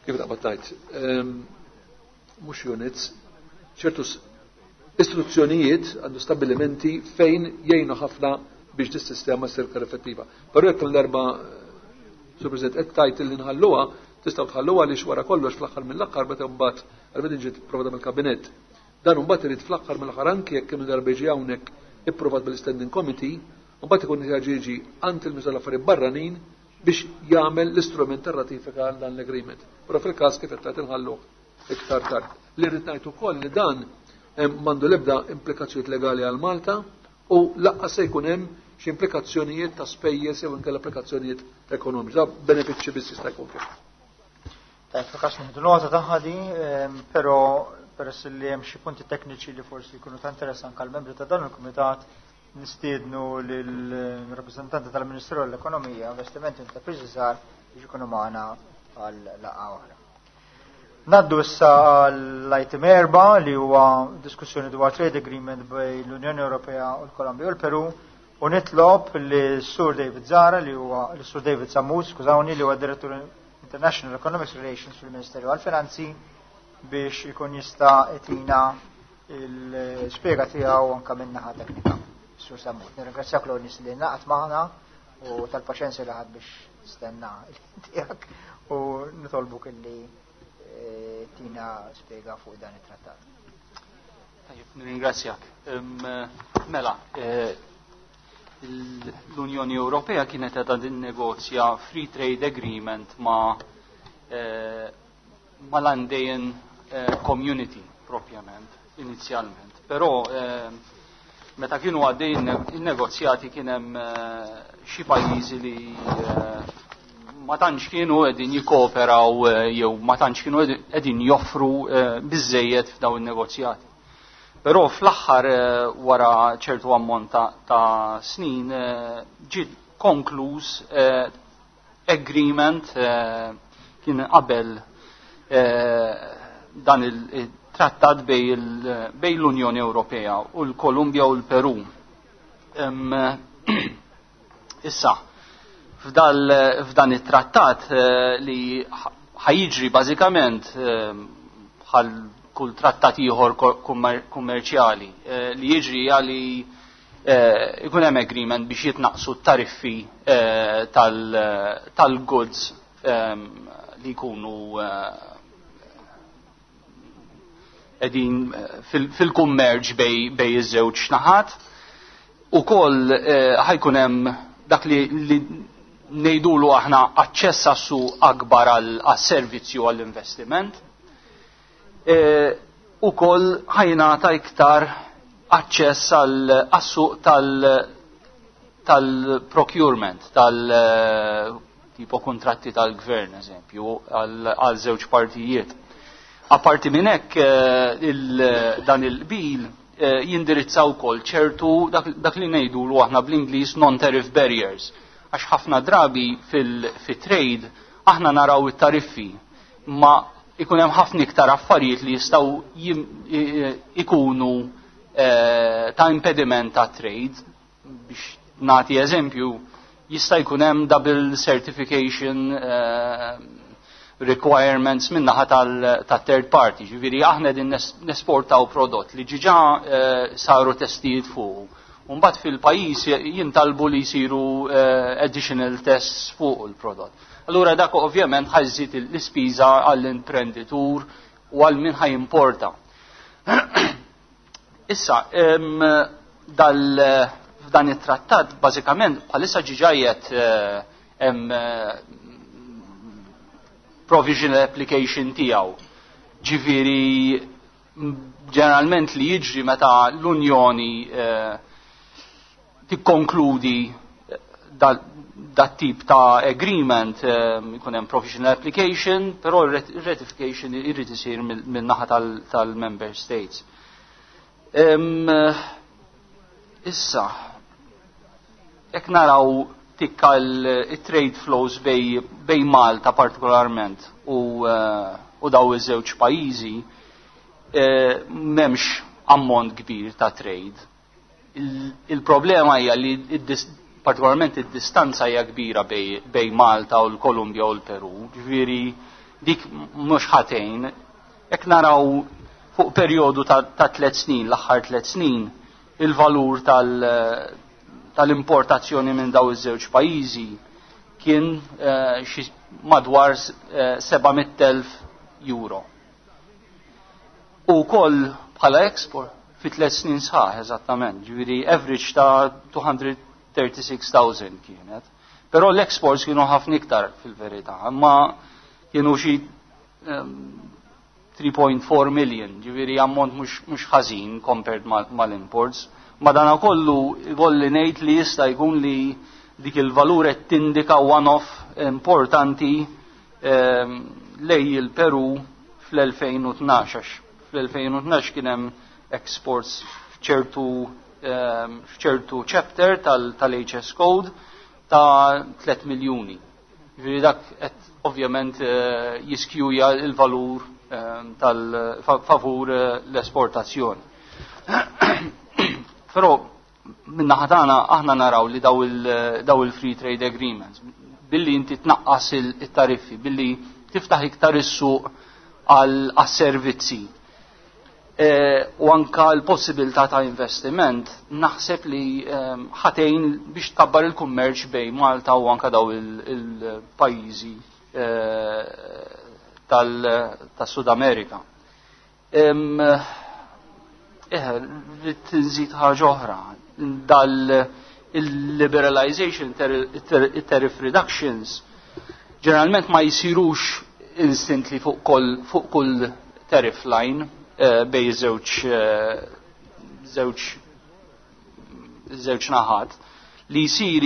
kif taqbad tgħid, um, mhux units, ċertu istituzzjonijiet għandu stabilimenti fejn jgħinu ħafna biex dis sistema ssir iktar effettiva. Però jekk l-darba, Sur President, qed tajt li nħalluha, tistgħu tħalluha li wara kollox fl-aħħar mill-aħħar meta mbagħad għal ġiet provata mill-kabinett. Dan mbagħad irid fl-aħħar mill-aħħar anki jekk kemm darba jiġi hawnhekk ipprovat bil-Standing Committee, mbagħad ikun jiġi għand il-Ministru tal-Affarijiet Barranin biex jagħmel l-istrument tar-ratifika għal dan l-agreement. Però fil-każ kif qed tgħid inħalluh iktar tard. Li rrid ngħid ukoll li dan m'għandu l-ebda implikazzjonijiet legali għal Malta u lanqas se jkun hemm xi implikazzjonijiet ta' spejjeż jew inkella applikazzjonijiet ekonomiċi. Da benefiċċji biss jista' jkun fih. Tajb, fil-każ nieħdu nota tagħha di, però peress li hemm xi punti tekniċi li forsi jkunu ta' interess anke għall-membri ta' dan il-kumitat, nistiednu lill-rappreżentanti tal-Ministeru l-Ekonomija, Investimenti u Intrapriżi Żgħar biex ikunu magħna għal laqgħa oħra. Ngħaddu issa għall-item erba' li huwa diskussjoni dwar trade agreement bejn l-Unjoni Ewropea u l-Kolombja u l-Peru u nitlob li Sur David Zara li huwa l-Sur David Sammut, skużawni, li huwa Direttur International Economic Relations fil-Ministeru għal-Finanzi biex ikun jista' jtina l-spjega tiegħu anke min-naħa teknika. Sur Sammut, nirringrazzjak l nies li ngħaqadt magħna u tal-paċenzja li ħadt biex stenna tiegħek u nitolbuk illi eh, tina spjega fuq dan it-trattat. Tajjeb, nirringrazzjak. Mela, eh, l-Unjoni Ewropea kienet qiegħda tinnegozja Free Trade Agreement ma' eh, mal-Andean eh, Community propjament, inizjalment. Però eh, meta kienu għaddej il-negozjati kien hemm eh, xi pajjiżi li eh, ma tantx kienu qegħdin jikkooperaw eh, jew ma tantx kienu qegħdin joffru eh, biżejjed f'dawn in-negozjati. Però fl-aħħar eh, wara ċertu ammont ta', ta snin eh, ġiet konkluż eh, agreement kien qabel dan il-trattat bejn l-Unjoni Ewropea u l-Kolumbja u l-Peru. Issa, f'dan it-trattat li ħa jiġri bażikament bħal kull trattat ieħor kummerċjali eh, li jiġri għali eh, ikun hemm agreement biex jitnaqsu t-tariffi eh, tal-goods ehm, li jkunu qegħdin fil-kummerċ bejn iż-żewġ naħat. Ukoll ħa jkun hemm dak li ngħidulu aħna aċċess għas-suq akbar għas-servizzi u għall-investiment. E, ukoll ħa jingħata iktar aċċess għas-suq tal-procurement, tal tipo kontratti tal-gvern, eżempju, għal żewġ partijiet. Apparti minn hekk eh, dan il-qbil eh, jindirizza wkoll ċertu dak li ngħidulu aħna bl-Ingliż non-tariff barriers. Għax ħafna drabi fil-trade aħna naraw it-tariffi, ma ikun hemm ħafna iktar affarijiet li jistgħu ikunu eh, ta' impediment ta' trade. Biex nagħti eżempju, jista' jkun hemm double certification eh, requirements min-naħa tal-third party. Ġifieri aħna din nesportaw prodott li diġà eh, saru testijiet fuq. Mbagħad fil-pajjiż jintalbu li jsiru additional tests fuq il-prodott. Allura dak ovvjament ħa jżid l-ispiża għall-imprenditur u għal min ħa jimporta. Issa, dal f'dan it-trattat bażikament bħalissa diġà eh, hemm eh, provisional application tiegħu. Ġifieri ġeneralment li jiġri meta l-Unjoni eh, tikkonkludi dat tip ta' agreement, ikun hemm provisional application, però ratification irrid isir min-naħa tal-member states. Issa, jekk naraw tikka il-trade flows bejn, bejn Malta partikolarment u, uh, u daw iż-żewġ pajjiżi, uh, m'hemmx ammont kbir ta' trade. Il-problema hija li partikolarment id-distanza hija kbira bejn, bejn Malta u l-Kolumbja u l-Peru, ġifieri dik mhux ħatejn. Jekk naraw fuq perjodu ta', ta tliet snin, l-aħħar tliet snin, il-valur tal- tal-importazzjoni minn daw iż-żewġ pajjiżi kien eh, xi madwar eh, seba' mitt elf euro. U koll bħala export fi tliet snin sħaħ eżattament, ġifieri average ta' two hundred thirty-six thousand kienet. Però l-exports kienu ħafna iktar fil-verità, imma kienu xi three point four million, ġifieri ammont mhux ħażin compared mal-imports. Madana kollu ikolli ngħid li jista' jkun li dik il-valur qed tindika one-off importanti ehm, lej il-Peru fl-elfejn u tnax, għax fl-elfejn u tnax kien hemm exports f'ċertu, ehm, f'ċertu chapter tal-H S Code ta' tliet miljuni. Ġifieri dak qed ovvjament, eh, jiskjuja l-valur, ehm, tal-favur, eh, l-esportazzjoni. Però min-naħa tagħna aħna naraw li daw il-, daw il-free trade agreements, billi inti tnaqqas il-tariffi, billi tiftaħ iktar is-suq għal-servizzi, eh, u anka l-possibilità ta' investiment, naħseb li, ehm, ħatejn biex tkabbar il-kummerċ bejn Malta u anka daw il-pajjiżi, eh, tas-Sud Amerika. Ehm, eh, rrid nżid ħaġa oħra, dal il-liberalization, tariff reductions, ġeneralment ma jsirux instantly fuq kull, fuq kull tariff line, eh, bej żewġ, eh, żewġ, żewġ naħat, li jsir,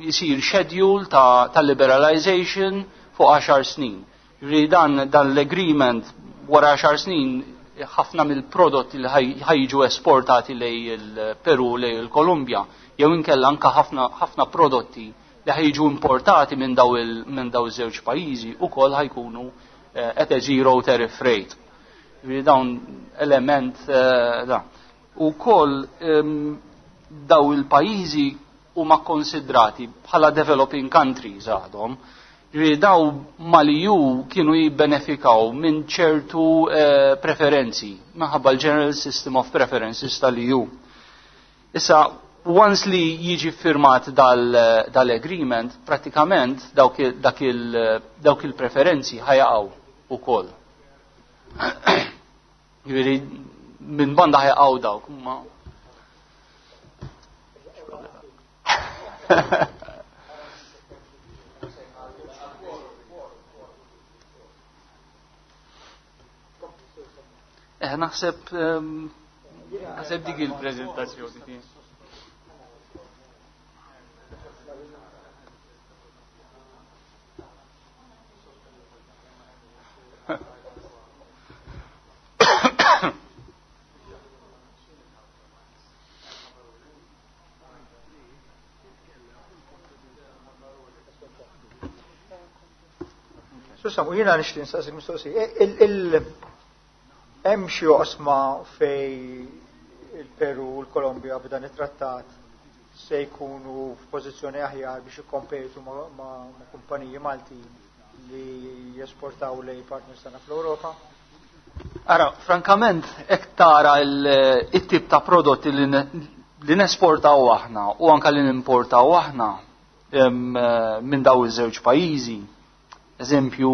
jsir schedule ta', ta' liberalization fuq għaxar snin. Ġifieri dan, dan l-agreement wara għaxar snin ħafna mill-prodotti li ħaj-, ħajġu esportati lej il-Peru, lej il-Kolumbja, jew inkella anka ħafna, ħafna prodotti li ħajġu importati minn daw il-, minn daw iż-żewġ pajjiżi ukoll ħajkunu, eh, at a zero tariff rate. Ġifieri dawn element, eh, da. Ukoll, ehm, daw il-pajjiżi huma konsidrati bħala developing countries għadhom. Ġifieri daw mal-E U kienu jibbenefikaw minn ċertu, eh, preferenzi minħabba l-General System of Preferences tal-E U. Issa, once li jiġi firmat dal, dal-agreement, pratikament dawk il, dak il, dawk il-preferenzi ħajaqgħu ukoll. Ġifieri minn banda ħajaqgħu dawk, ma Eh, naħseb, ehm, naħseb dik il-preżentazzjoni tiegħi. Susamu, jiena nixtieq nistaqsik mistoqsija. Il-, il-, hemm xi oqsma fej il-Peru u l-Kolombja b'dan it-trattat se jkunu f'pożizzjoni aħjar biex ikkompetu ma', ma', ma' kumpaniji Maltin li jesportaw lej partners tagħna fl-Ewropa? Ara, frankament, hekk tara il-, it-tip ta' prodotti li ne-, li nesportaw aħna u anka li nimportaw aħna, em, minn daw iż-żewġ pajjiżi. Eżempju,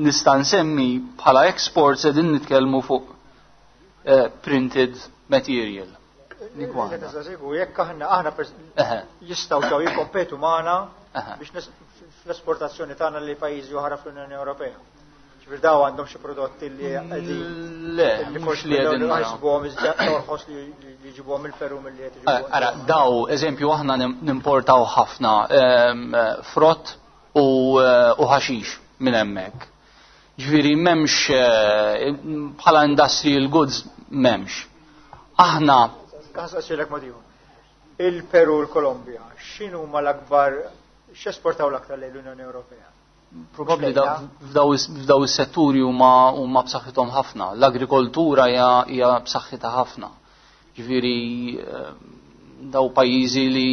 nista' nsemmi bħala exports qegħdin nitkellmu fuq, eh, printed material. Dik waħda. Jekk nista' jekk aħna, aħna pers- Eħe. jistgħu ġew jikkompetu magħna Eħe. biex nes-, fl-esportazzjoni tagħna li pajjiżi oħra fl-Unjoni Ewropea. Ġifier daw għandhom xi prodotti li qegħdin Le, li mhux forsi li qegħdin dawn naraw. ħasbuhom iżda orħos li, li jġibuhom il-Peru milli qed iġibuhom. Eh, ara, daw, eżempju, aħna nim-, nimportaw ħafna, ehm, frott u, eh, u ħaxix minn hemmhekk. Ġifieri m'hemmx, eh, bħala industrial goods m'hemmx. Aħna Ħasaqsilek mod ieħor. Il-Peru u l-Kolombja, x'inhu huma l-akbar, x'esportaw l-aktar lejn l-Unjoni Ewropea? Probabbli da-, f'daw is-, f'daw is-setturi huma, huma b'saħħithom ħafna. L-agrikoltura hija, hija b'saħħitha ħafna. Ġifieri, eh, daw pajjiżi li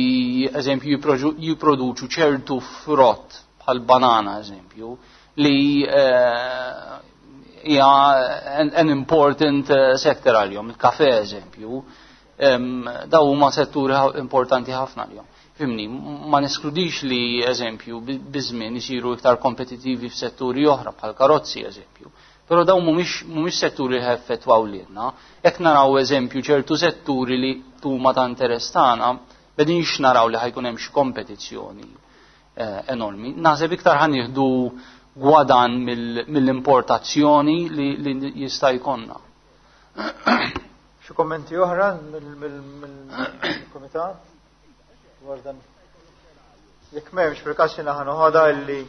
eżempju jipprodu-, jipproduċu ċertu frott bħal banana eżempju li, eh, hija an, an important, eh, sector għalihom, il-kafe eżempju, em, daw huma setturi ħa-, importanti ħafna għalihom. Fimni, ma neskludix li eżempju bi-, biżmien isiru iktar kompetittivi f'setturi oħra bħal karozzi eżempju. Però dawn mhumiex, mhumiex setturi li effettwaw lilna. Jekk naraw eżempju ċertu setturi li huma ta' interess tagħna, bedinx naraw li ħajkun hemm xi kompetizzjoni, eh, enormi. Naħseb iktar ħan nieħdu gwadan mill-, mill-importazzjoni li, li jista' jkollna. Xi kommenti oħra mill-, mill-, mill-kumitat? Dwar dan. Jekk m'hemmx fil-każ jiena ħa noħodha illi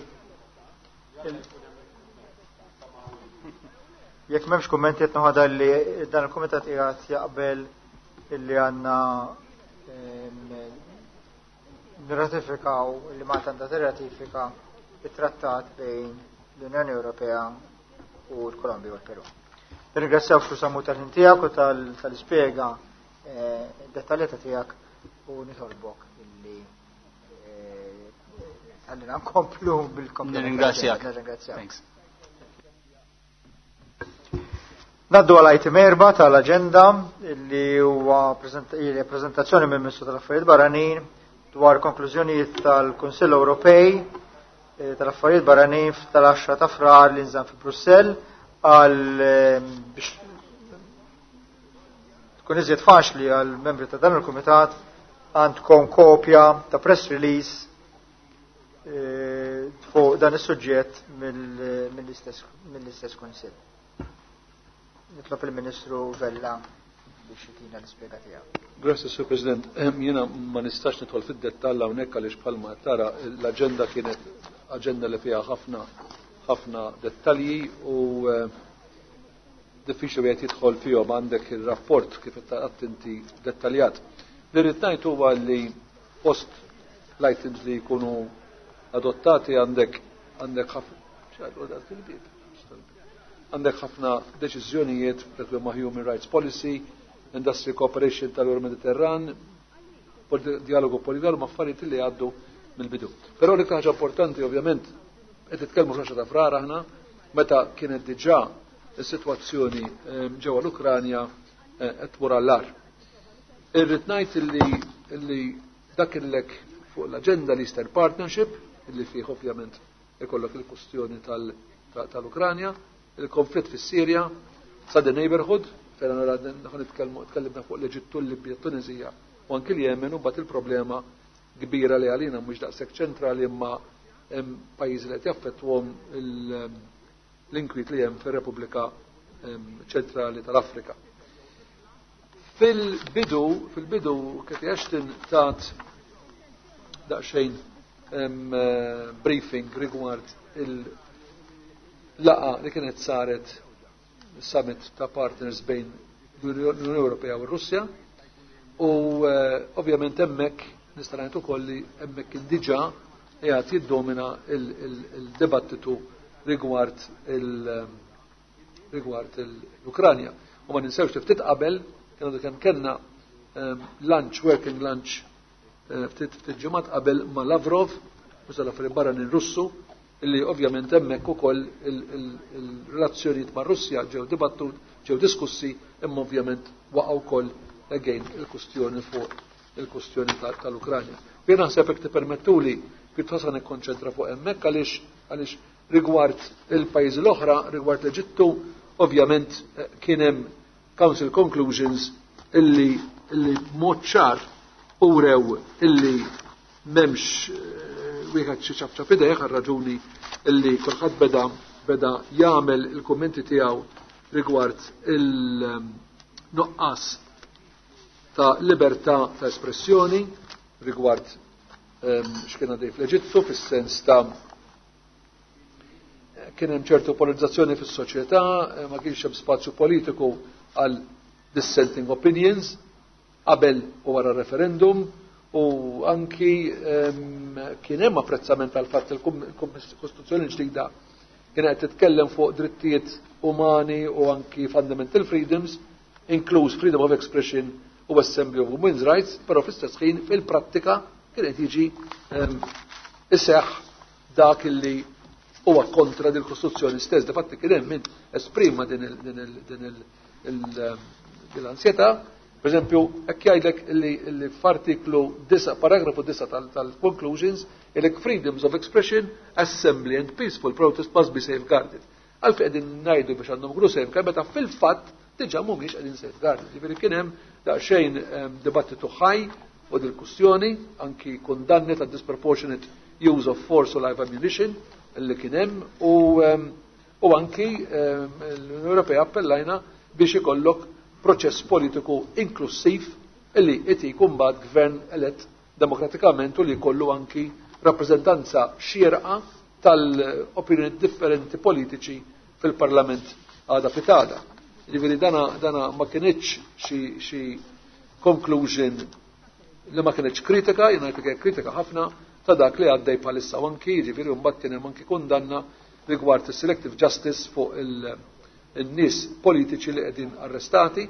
il- Jekk m'hemmx kummenti, qed noħodha li dan il-kumitat qiegħed jaqbel illi għandna nirratifikaw, li Malta għandha tirratifika it-trattat bejn l-Unjoni Ewropea u l-Kolombja u l-Peru. Nirringrazzjaw, Sur Sammut, tal-ħin tiegħek u tal-ispjega eh, dettaljata tiegħek u nitolbok illi għallina eh, nkomplu bil-komplu. Nirringrazzjak. Nirringrazzjak. Ngħaddu għal item erba' tal-agenda, li huwa prezentazzjoni mill Ministru tal-Affarijiet Barranin dwar konklużjonijiet tal-Kunsill Ewropej eh, tal-Affarijiet Barranin tal-għaxra ta' Frar li nżamm fi Brussell. Għal eh, biex tkun iżjed faċli għal membri ta' dan il-Kumitat, għandkom kopja ta' press release eh, fuq dan is-suġġett mill-istess Kunsill. Nitlob il-Ministru Vella biex jtina l-ispjega tiegħu. Grazie, Sur President. Jiena ma nistax nidħol fid-dettall hawnhekk għaliex bħalma tara l-aġenda kienet aġenda li fiha ħafna ħafna dettalji u eh, diffiċli wieħed jidħol fihom, għandek ir-rapport kif qed inti dettaljat. Li rrid ngħid huwa li post l-items li jkunu adottati għandek għandek ħafna għandek ħafna deċiżjonijiet dak li huma human rights policy, industry cooperation tal-Eur Mediterran, dialogu politiku, ma affarijiet li għaddu mill-bidu. Però l ħaġa importanti, ovvjament, qed titkellmu fl ta' Frar aħna, meta kienet diġà is-sitwazzjoni ehm, ġewwa l-Ukranja eh, qed tmur għall-agħar. Irrid ngħid illi illi dak illek fuq l-aġenda l-Eastern Partnership, illi fih ovvjament ikollok il-kustjoni tal-Ukranja, il-konflitt fis-Sirja, Southern Neighborhood, fejn nara nitkellmu tkellimna fuq l-Eġittu, l-Libja, Tunizija u anki l-Jemen, u mbagħad il-problema kbira li għalina mhux daqshekk ċentrali imma hemm pajjiżi li qed jaffettwhom l-inkwiet li hemm fir-Repubblika Ċentrali tal-Afrika. Fil-bidu, fil-bidu Cathy Ashton tat daqsxejn eh, briefing rigward il-laqgħa li kienet saret, summit ta' partners bejn l-Unjoni Ewropea u r-Russja, u eh, ovvjament hemmhekk nista' ngħid ukoll li hemmhekk kien diġà qiegħed jiddomina il-dibattitu rigward il- rigward l-Ukranja. U ma ninsewx li ftit qabel kienu kemm kellna ehm, lunch, working lunch, eh, ftit ftit ġimgħat qabel ma' Lavrov, mhux tal-affarijiet barranin Russu, illi ovvjament hemmhekk ukoll il-relazzjonijiet ma' Russja ġew dibattut, ġew diskussi, imma ovvjament waqgħu wkoll again il-kustjoni fuq il-kustjoni tal-Ukranja. Jien naħseb, hekk tippermettuli, pjuttost nikkonċentra fuq hemmhekk għaliex għaliex rigward il-pajjiżi l-oħra, rigward l-Eġittu, ovvjament eh, kien hemm Council conclusions illi illi mod ċar urew illi m'hemmx eh, wieħed xi ċapċap idejh, għal raġuni illi kulħadd beda beda jagħmel il-kummenti tiegħu rigward il-nuqqas ta' libertà ta' espressjoni rigward ehm, x'kien għaddej fl-Eġittu, fis-sens ta' kien hemm ċertu polarizzazzjoni fis-soċjetà, eh, ma kienx hemm spazju politiku għal dissenting opinions qabel u wara referendum, u anki um, kien hemm apprezzament tal fatt il-Kostituzzjoni ġdida kien qed titkellem fuq drittijiet umani u anki fundamental freedoms, inkluż freedom of expression u assembly of women's rights, però fl-istess ħin fil-prattika kien qed jiġi um, iseħħ dak illi huwa kontra din il-Kostituzzjoni stess. Difatti kien hemm min esprima din l-ansjetà. Per eżempju, hekk jgħidlek li f'artiklu disgħa, paragrafu disgħa tal-conclusions, ilek freedoms of expression, assembly and peaceful protest must be safeguarded. Għalfejn qegħdin ngħidu biex għandhom ikunu safeguard meta fil-fatt diġà mhumiex qegħdin safeguarded? Ġifieri kien hemm daqsxejn ehm, dibattitu ħaj u dil-kustjoni, anki kundanni ta' disproportionate use of force u live ammunition li kien hemm, u ehm, u anki ehm, l-Unjoni Ewropea appellajna biex ikollok proċess politiku inklusiv illi iti jkun mbagħad gvern elett demokratikament u li jkollu anki rappreżentanza xierqa tal-opinjoni differenti politiċi fil-Parlament għada pitgħada. Jiġifieri dana, dana ma kinitx xi, xi conclusion li ma kinitx kritika, jiena ngħid kritika ħafna ta' dak li għaddej bħalissa u anki, jiġifieri mbagħad kien hemm anki kundanna rigward is-selective justice fuq il-nies politiċi li qegħdin arrestati,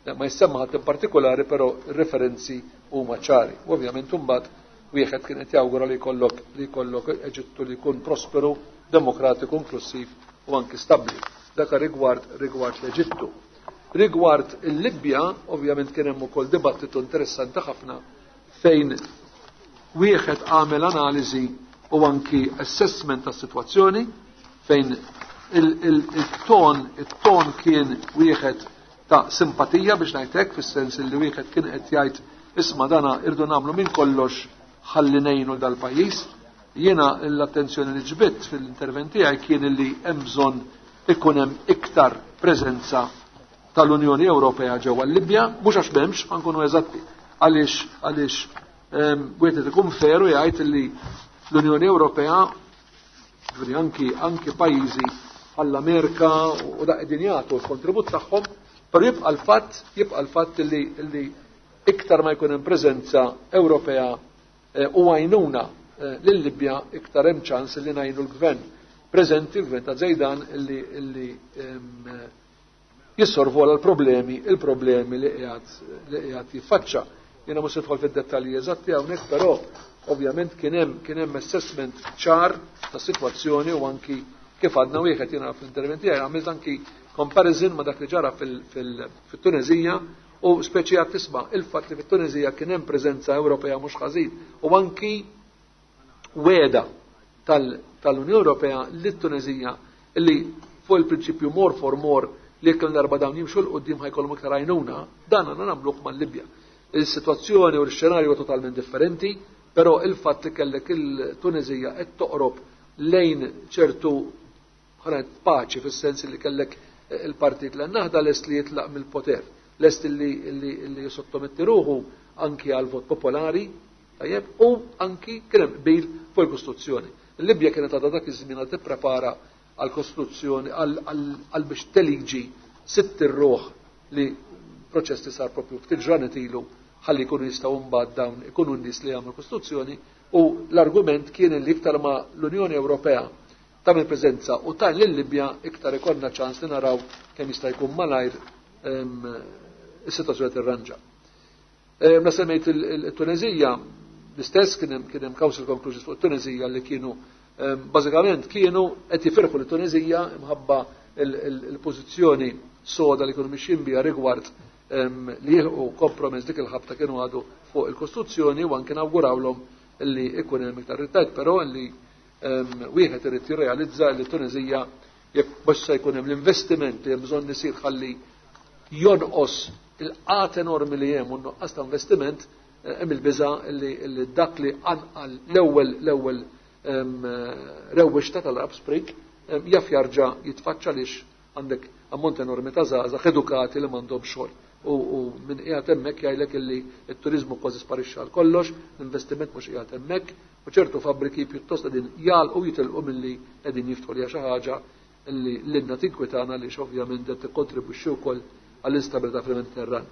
ma jissemma ħadd in partikolari, però referenzi huma ċari. U ovvjament imbagħad wieħed kien qed jawgura li jkollok li jkollok Eġittu li jkun prosperu, demokratiku, inklusiv u anki stabbli. Dak rigward rigward l-Eġittu. Rigward il-Libja, ovvjament kien hemm ukoll dibattitu interessanti ħafna fejn wieħed għamel analiżi u anki assessment tas-sitwazzjoni fejn il-ton il-ton kien wieħed ta' simpatija biex ngħid hekk, fis-sens li wieħed kien qed jgħid isma' dana irdu nagħmlu minn kollox ħalli ngħinu dal-pajjiż. Jiena l-attenzjoni li ġbidt fil-intervent tiegħi kien li hemm bżonn ikun hemm iktar preżenza tal-Unjoni Ewropea ġewwa l-Libja, mhux għax m'hemmx, ħa nkunu eżatti, għaliex għaliex wieħed ikun feru jgħid li l-Unjoni Ewropea, ġifieri anki anki pajjiżi bħall-Amerika u da qegħdin jagħtu l-kontribut tagħhom, però jibqa' l-fatt jibqa' l-fatt li li iktar ma jkun hemm preżenza Ewropea u għajnuna lil-Libja, iktar hemm ċans li ngħinu l-gvern preżenti, l-gvern ta' Zejdan, illi illi jissorvola l-problemi il-problemi li qiegħed li qiegħed jiffaċċa. Jiena mhux nidħol fid-dettalji eżatti hawnhekk, però ovvjament kien hemm kien hemm assessment ċar ta' sitwazzjoni u anki kif għadna wieħed jiena fl-intervent tiegħi għamilt anki comparison ma' dak li ġara fil-Tunezija u speċi għad tisma' il-fatt li fit-Tunezija kien hemm preżenza Ewropea mhux ħażin u anki wegħda tal-Unjoni Ewropea lit-Tunezija li fuq il-prinċipju more for more, li jekk l-darba dawn jimxu 'l quddiem ħa jkollhom iktar għajnuna, dan għandna nagħmluh mal-Libja. Il-sitwazzjoni u l-xenarju huwa totalment differenti, però il-fatt li kellek il-Tunezija qed toqrob lejn ċertu ħanet paċi, fis-sens li kellek il-partit l-Naħda lest li jitlaq mill-poter, lest li li jisottometti ruħu anki għal vot popolari, tajjeb, u anki kien hemm qbil fuq il-Kostituzzjoni. Il-Libja kienet għadha dak iż-żmien għad tipprepara għal-Kostituzzjoni, għal biex teliġi sitt irruħ, li proċess li sar propju ftit ġranet ilu, ħalli jkunu jistgħu mbagħad dawn ikunu n-nies li jagħmlu Kostituzzjoni. U l-argument kien li iktar ma l-Unjoni Ewropea tagħmel preżenza u tajn lil-Libja, iktar ikollna ċans li naraw kemm jista' jkun malajr is-sitwazzjoni tirranġa. La semmejt il-Tunezija, l-istess kien hemm kien hemm council conclusions fuq it-Tunezija li kienu bażikament kienu qed jifirħu l-Tunezija imħabba il-pożizzjoni soda li kienu mixjin biha rigward li jilħqu kompromess dik il-ħabta kienu għadu fuq il-Kostituzzjoni u anke nawgurawlhom li ikun hemm iktar rittajt, però li wieħed irid jirrealizza li Tunezija, jekk biex se jkun hemm l-investiment li hemm bżonn isir ħalli jonqos il-qat enormi li hemm u nuqqas ta' investiment, hemm il-biża li dak li anqal l-ewwel l-ewwel rewwixta tal-Arab Spring jaf jarġa' jitfaċċa, għaliex għandek ammont enormi ta' żgħażagħ edukati li m'għandhom xogħol. U minn qiegħed hemmhekk jgħidlek illi t-turiżmu kważi sparixxa għal kollox, l-investiment mhux qiegħed hemmhekk, u ċertu fabbriki pjuttost qegħdin jagħlqu, jitilqu milli qegħdin jiftħu, li xi ħaġa li lilna tinkwitana li ovvjament qed tikkontribwixxi wkoll għall-instabilità fil-Mediterran.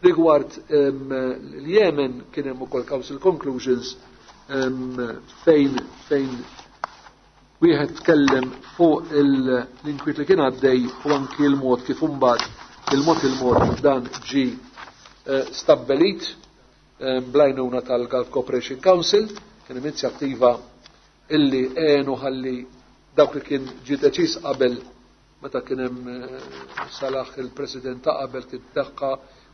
Rigward l-Yemen kien hemm ukoll council conclusions fejn fejn wieħed tkellem fuq l-inkwiet li kien għaddej u anki l-mod kif imbagħad il-mod il-mod dan ġi stabbelit bl-għajnuna tal-Gulf Cooperation Council. Kien inizjattiva illi għenu ħalli dawk li kien ġi deċiż qabel meta kien hemm Salaħ il-President ta' qabel kien teħħa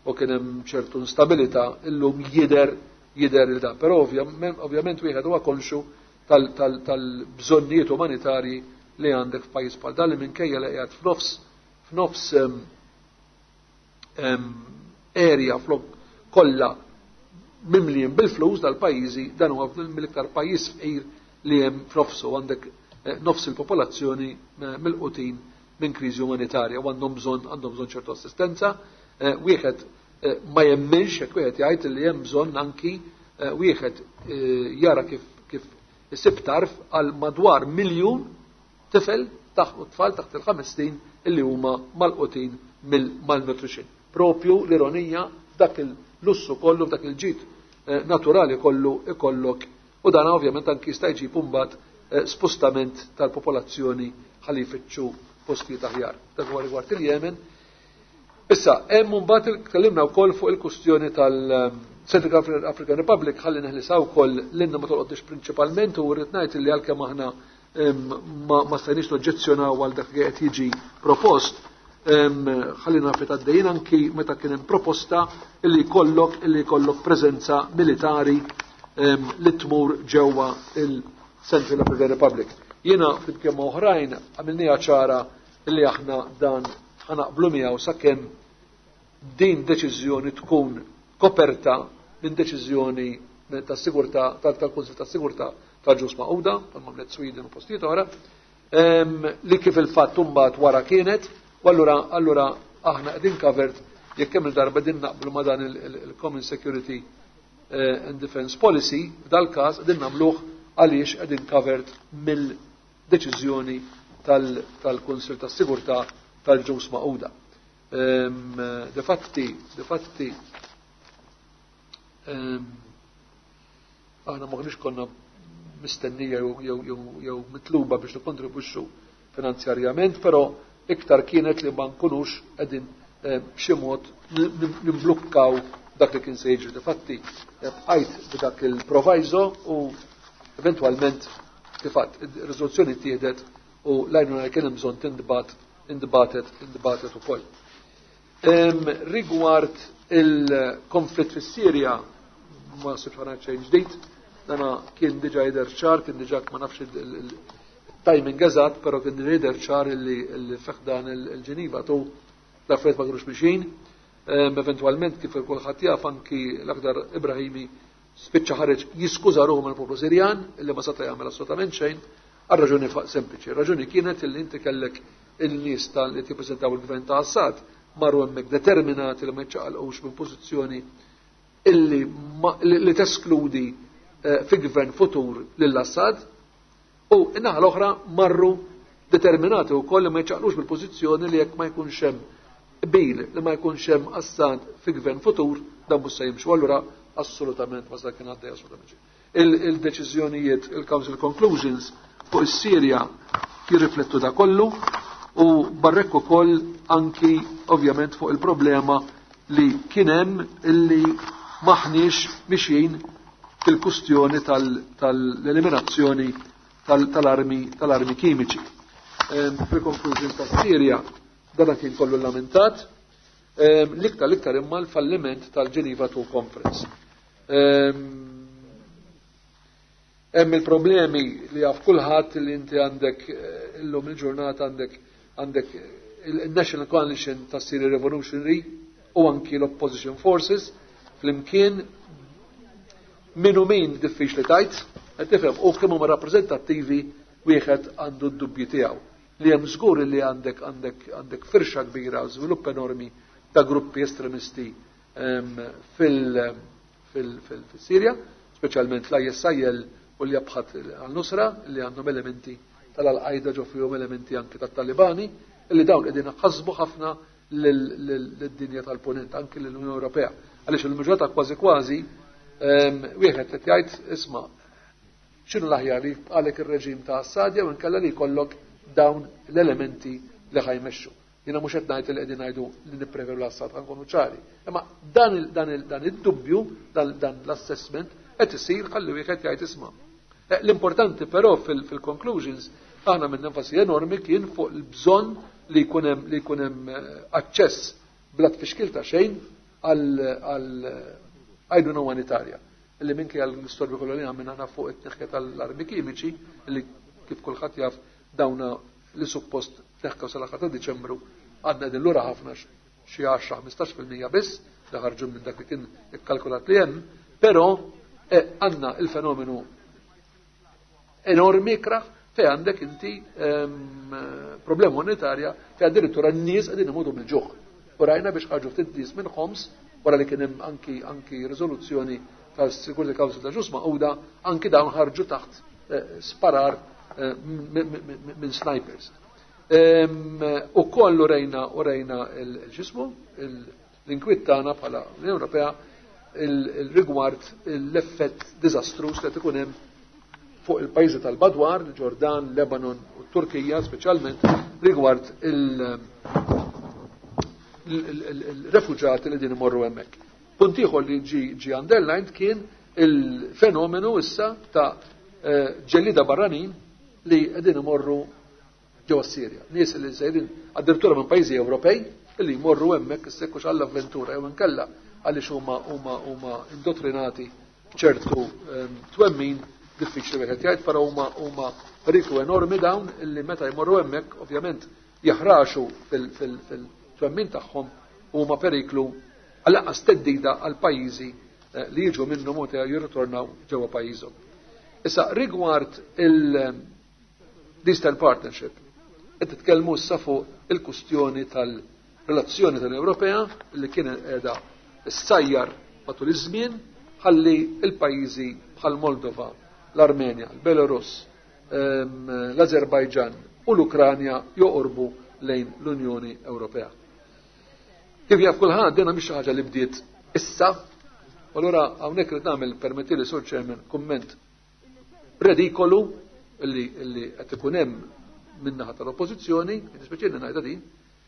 u kien hemm ċertu instabilità, illum jidher jidher il da. Però ovvjament wieħed huwa konxu tal-bżonnijiet umanitarji li għandek f'pajjiż bħal dan li minkejja li qiegħed f'nofs f'nofs area flok kollha mimlijin bil-flus dal-pajjiżi, dan huwa mill-iktar pajjiż fqir li hemm f'nofsu, għandek nofs il-popolazzjoni milqutin minn kriżi umanitarja u għandhom bżonn għandhom bżonn ċertu assistenza. Wieħed ma jemminx jekk wieħed jgħid li hemm bżonn anki wieħed jara kif kif isib tarf għal madwar miljun tifel taħt u tfal taħt il-ħames snin. illi huma malqutin mill-malnutrition. Propju l-ironija dak il-lussu kollu, dak il-ġid eh, naturali kollu ikollok, u dan ovvjament anki jista' jġib imbagħad eh, spostament tal-popolazzjoni ħalli jfittxu postijiet aħjar. Dak huwa rigward il-Yemen. Issa, hemm mbagħad tkellimna wkoll fuq il-kustjoni tal-Central African Republic, ħalli neħlisaw wkoll l-inna ma tolqotniex prinċipalment, u rrid ngħid li għalkemm aħna ma, ma stajniex noġġezzjonaw għal dak li qed jiġi propost, ħalli naf għaddejjin anki meta kien hemm proposta illi jkollok illi jkollok preżenza militari li tmur ġewwa il-Central African Republic. Jiena flimkien ma' oħrajn għamilniha ċara illi aħna dan ħanaqblu miegħu sakemm din deċiżjoni tkun koperta minn deċiżjoni tas-sigurtà tal-Kunsill tas-Sigurtà tal-Ġnus Magħquda, tal-Mamlet Sweden u postijiet oħra, li kif il-fatt imbagħad wara kienet, u allura allura aħna qegħdin covered jekk kemm il-darba din naqblu ma' dan il-Common Security and Defense Policy, f'dal-każ qegħdin nagħmluh għaliex qegħdin covered mill-deċiżjoni tal-Kunsill tas-Sigurtà tal-Ġnus Magħquda. De fatti, de fatti, aħna m'aħniex konna mistennija jew mitluba biex nikkontribwixxu finanzjarjament, però iktar kienet li ma nkunux qegħdin b'xi mod nimblukkaw dak li kien se jiġri. De fatti, bqajt b'dak il-proviso u eventwalment kif għedt ir-riżoluzzjoni ttieħdet u l-għajnuna li kien hemm bżonn tintbagħat intbatet intbatet ukoll. Rigward il-konflitt fis-Sirja ma sibx ħana xejn ġdid, dana kien diġà jidher ċar, kien diġà ma nafx il-timing eżatt, però kien diġà jidher ċar illi fih dan il-Ġeniva tu l-affarijiet ma kinux mixin. Eventwalment kif kulħadd jaf anki l-Akhdar Ibrahimi spiċċa ħareġ jiskuża ruħu mill-poplu Sirjan illi ma seta' jagħmel assolutament xejn għal raġuni sempliċi. Raġuni kienet illi inti kellek il-nies tal li tippreżentaw il-gvern ta' Assad marru hemmhekk determinati li ma jiċċaqalqux minn pożizzjoni illi li teskludi fi gvern futur lil Assad, u n-naħa l-oħra marru determinati wkoll li ma jiċċaqlux mill-pożizzjoni li jekk ma jkunx hemm qbil li ma jkunx hemm Assad fi gvern futur dan mhux se jimxu. Allura assolutament ma sa kien għaddej assolutament xejn. Il-deċiżjonijiet, il-Council Conclusions fuq is-Sirja jirriflettu da kollu, u barrek ukoll anki ovvjament fuq il-problema li kien hemm illi maħniex mixjin fil-kustjoni tal-eliminazzjoni tal-armi tal-armi kimiċi. Fil-conclusion tas-Sirja dan kien kollu lamentat, l-iktar l-iktar imma l-falliment tal-Geneva two Conference. Hemm il-problemi li jaf kulħadd li inti għandek illum il-ġurnata għandek għandek il-National Coalition ta' Syria Revolutionary u anki l-Opposition Forces flimkien minu min diffiċli tajt, qed tifhem, u kemm huma rappreżentattivi wieħed għandu d-dubji tiegħu. Li hemm żgur li għandek għandek għandek firxa kbira, żvilupp enormi ta' gruppi estremisti fil-Sirja, speċjalment l-I S I L u li jabħat għal-Nusra, li għandhom elementi tal-Al-Qaida ġo fihom elementi anki tat-Talibani, li dawn qegħdin ħasbu ħafna lid-dinja tal-punent, anki lill-Unjoni Ewropea. Għaliex il-maġġorata kważi kważi wieħed qed jgħid isma' x'inhu l-aħjar li għalek ir-reġim ta' Assad jew inkella li jkollok dawn l-elementi li ħajmexxu. Jiena mhux qed ngħid li qegħdin ngħidu li nippreferu l-Assad, ħankunu ċari. Imma dan dan dan id-dubju, dan l-assessment qed isir ħalli wieħed jgħid isma'. L-importanti però fil-conclusions aħna minn enfasi enormi kien fuq il-bżonn li jkun hemm li jkun hemm aċċess bla tfixkil ta' xejn għal għajnuna umanitarja. Illi minkejja l-istorbi kollu li għamilna aħna fuq it-tneħħja tal-armi kimiċi, illi kif kulħadd jaf dawna li suppost tneħħew sal-aħħar ta' Diċembru, għadna qegħdin lura ħafna xi għaxra ħmistax fil-mija biss li ħarġu minn dak li kien ikkalkulat li hemm, però għandna il-fenomenu enormi ikrah fej għandek inti problema monetarja fej addirittura n-nies qegħdin imutu mill-ġuħ. U rajna biex ħarġu ftit nies minn Homs wara li kien hemm anki anki riżoluzzjoni tal-Security Council ta' Ġnus Magħquda, anki dawn ħarġu taħt sparar minn snipers. U kollu rejna u rejna il-ġismu, l-inkwiet tagħna bħala l-Unjoni Ewropea il-rigward l-effett diżastruż li ikun hemm fuq il-pajjiżi tal-Badwar, il-Ġordan, Lebanon u Turkija speċjalment rigward il-refuġati li din imorru hemmhekk. Punt ieħor li ġi ġi underlined kien il-fenomenu issa ta' ġellida barranin li qegħdin imorru ġewwa Sirja. Nies li sejrin addirittura minn pajjiżi Ewropej li jmorru hemmhekk issekkux għall-avventura jew inkella għaliex huma huma huma indottrinati ċertu twemmin diffiċli wieħed jgħid, però huma huma periklu enormi dawn illi meta jmorru hemmhekk ovvjament jaħraxu fil-twemmin tagħhom huma periklu għall-anqas teddida għal pajjiżi li jiġu minnhom u jirritornaw ġewwa pajjiżhom. Issa rigward il-Eastern Partnership, qed titkellmu issa fuq il-kustjoni tal-relazzjoni tal-Ewropea li kien qiegħda ssajjar matul iż-żmien ħalli il-pajjiżi bħal Moldova, l-Armenja, l-Belarus, l-Azerbajġan u l-Ukranja joqorbu lejn l-Unjoni Ewropea. Kif jaf kulħadd dina mhix xi ħaġa li bdiet issa, u allura hawnhekk rid nagħmel permettili Sur Chairman kumment redikolu illi illi qed ikun hemm min-naħa tal-Oppożizzjoni, nispeċjali ngħidha din,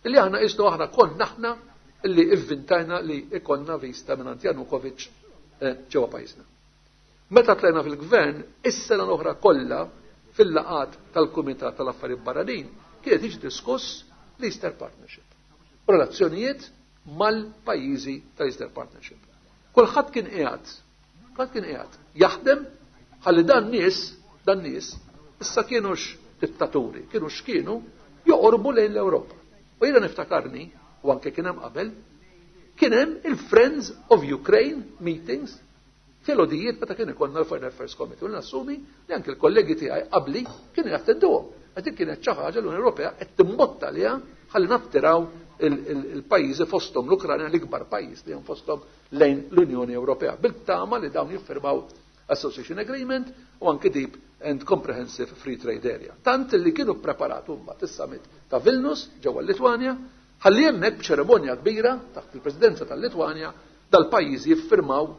illi aħna qisnu aħna konna aħna illi ivvintajna li ikonna vista minn Janukovic ġewwa pajjiżna. Meta tlajna fil-gvern, is-sena l-oħra kollha fil-laqat tal-Kumitat tal-Affarijiet Barranin kienet jiġi diskuss l-Eastern Partnership. Relazzjonijiet mal-pajjiżi tal-Eastern Partnership. Kulħadd kien qiegħed, kulħadd kien qiegħed jaħdem ħalli dan nies, dan nies, issa kienux dittaturi, kienu x'kienu joqorbu lejn l-Ewropa. U jiena niftakarni, u anke kien hemm qabel, kien hemm il-Friends of Ukraine meetings fil-odijiet meta kien ikollna l-Foreign Affairs Committee. U nassumi li anke l-kollegi tiegħi qabli kienu jattenduhom. Għax kienet xi ħaġa l-Unjoni Ewropea qed timbotta liha ħalli nattiraw il-pajjiżi fosthom l-Ukranja l-ikbar pajjiż li hemm fosthom lejn l-Unjoni Ewropea. Bil-tama li dawn jiffirmaw Association Agreement u anke Deep and Comprehensive Free Trade Area. Tant li kienu preparatu mbagħad is-summit ta' Vilnius ġewwa l-Litwanja, ħalli hemmhekk b'ċerimonja kbira taħt il-Presidenza tal-Litwanja dal-pajjiżi jiffirmaw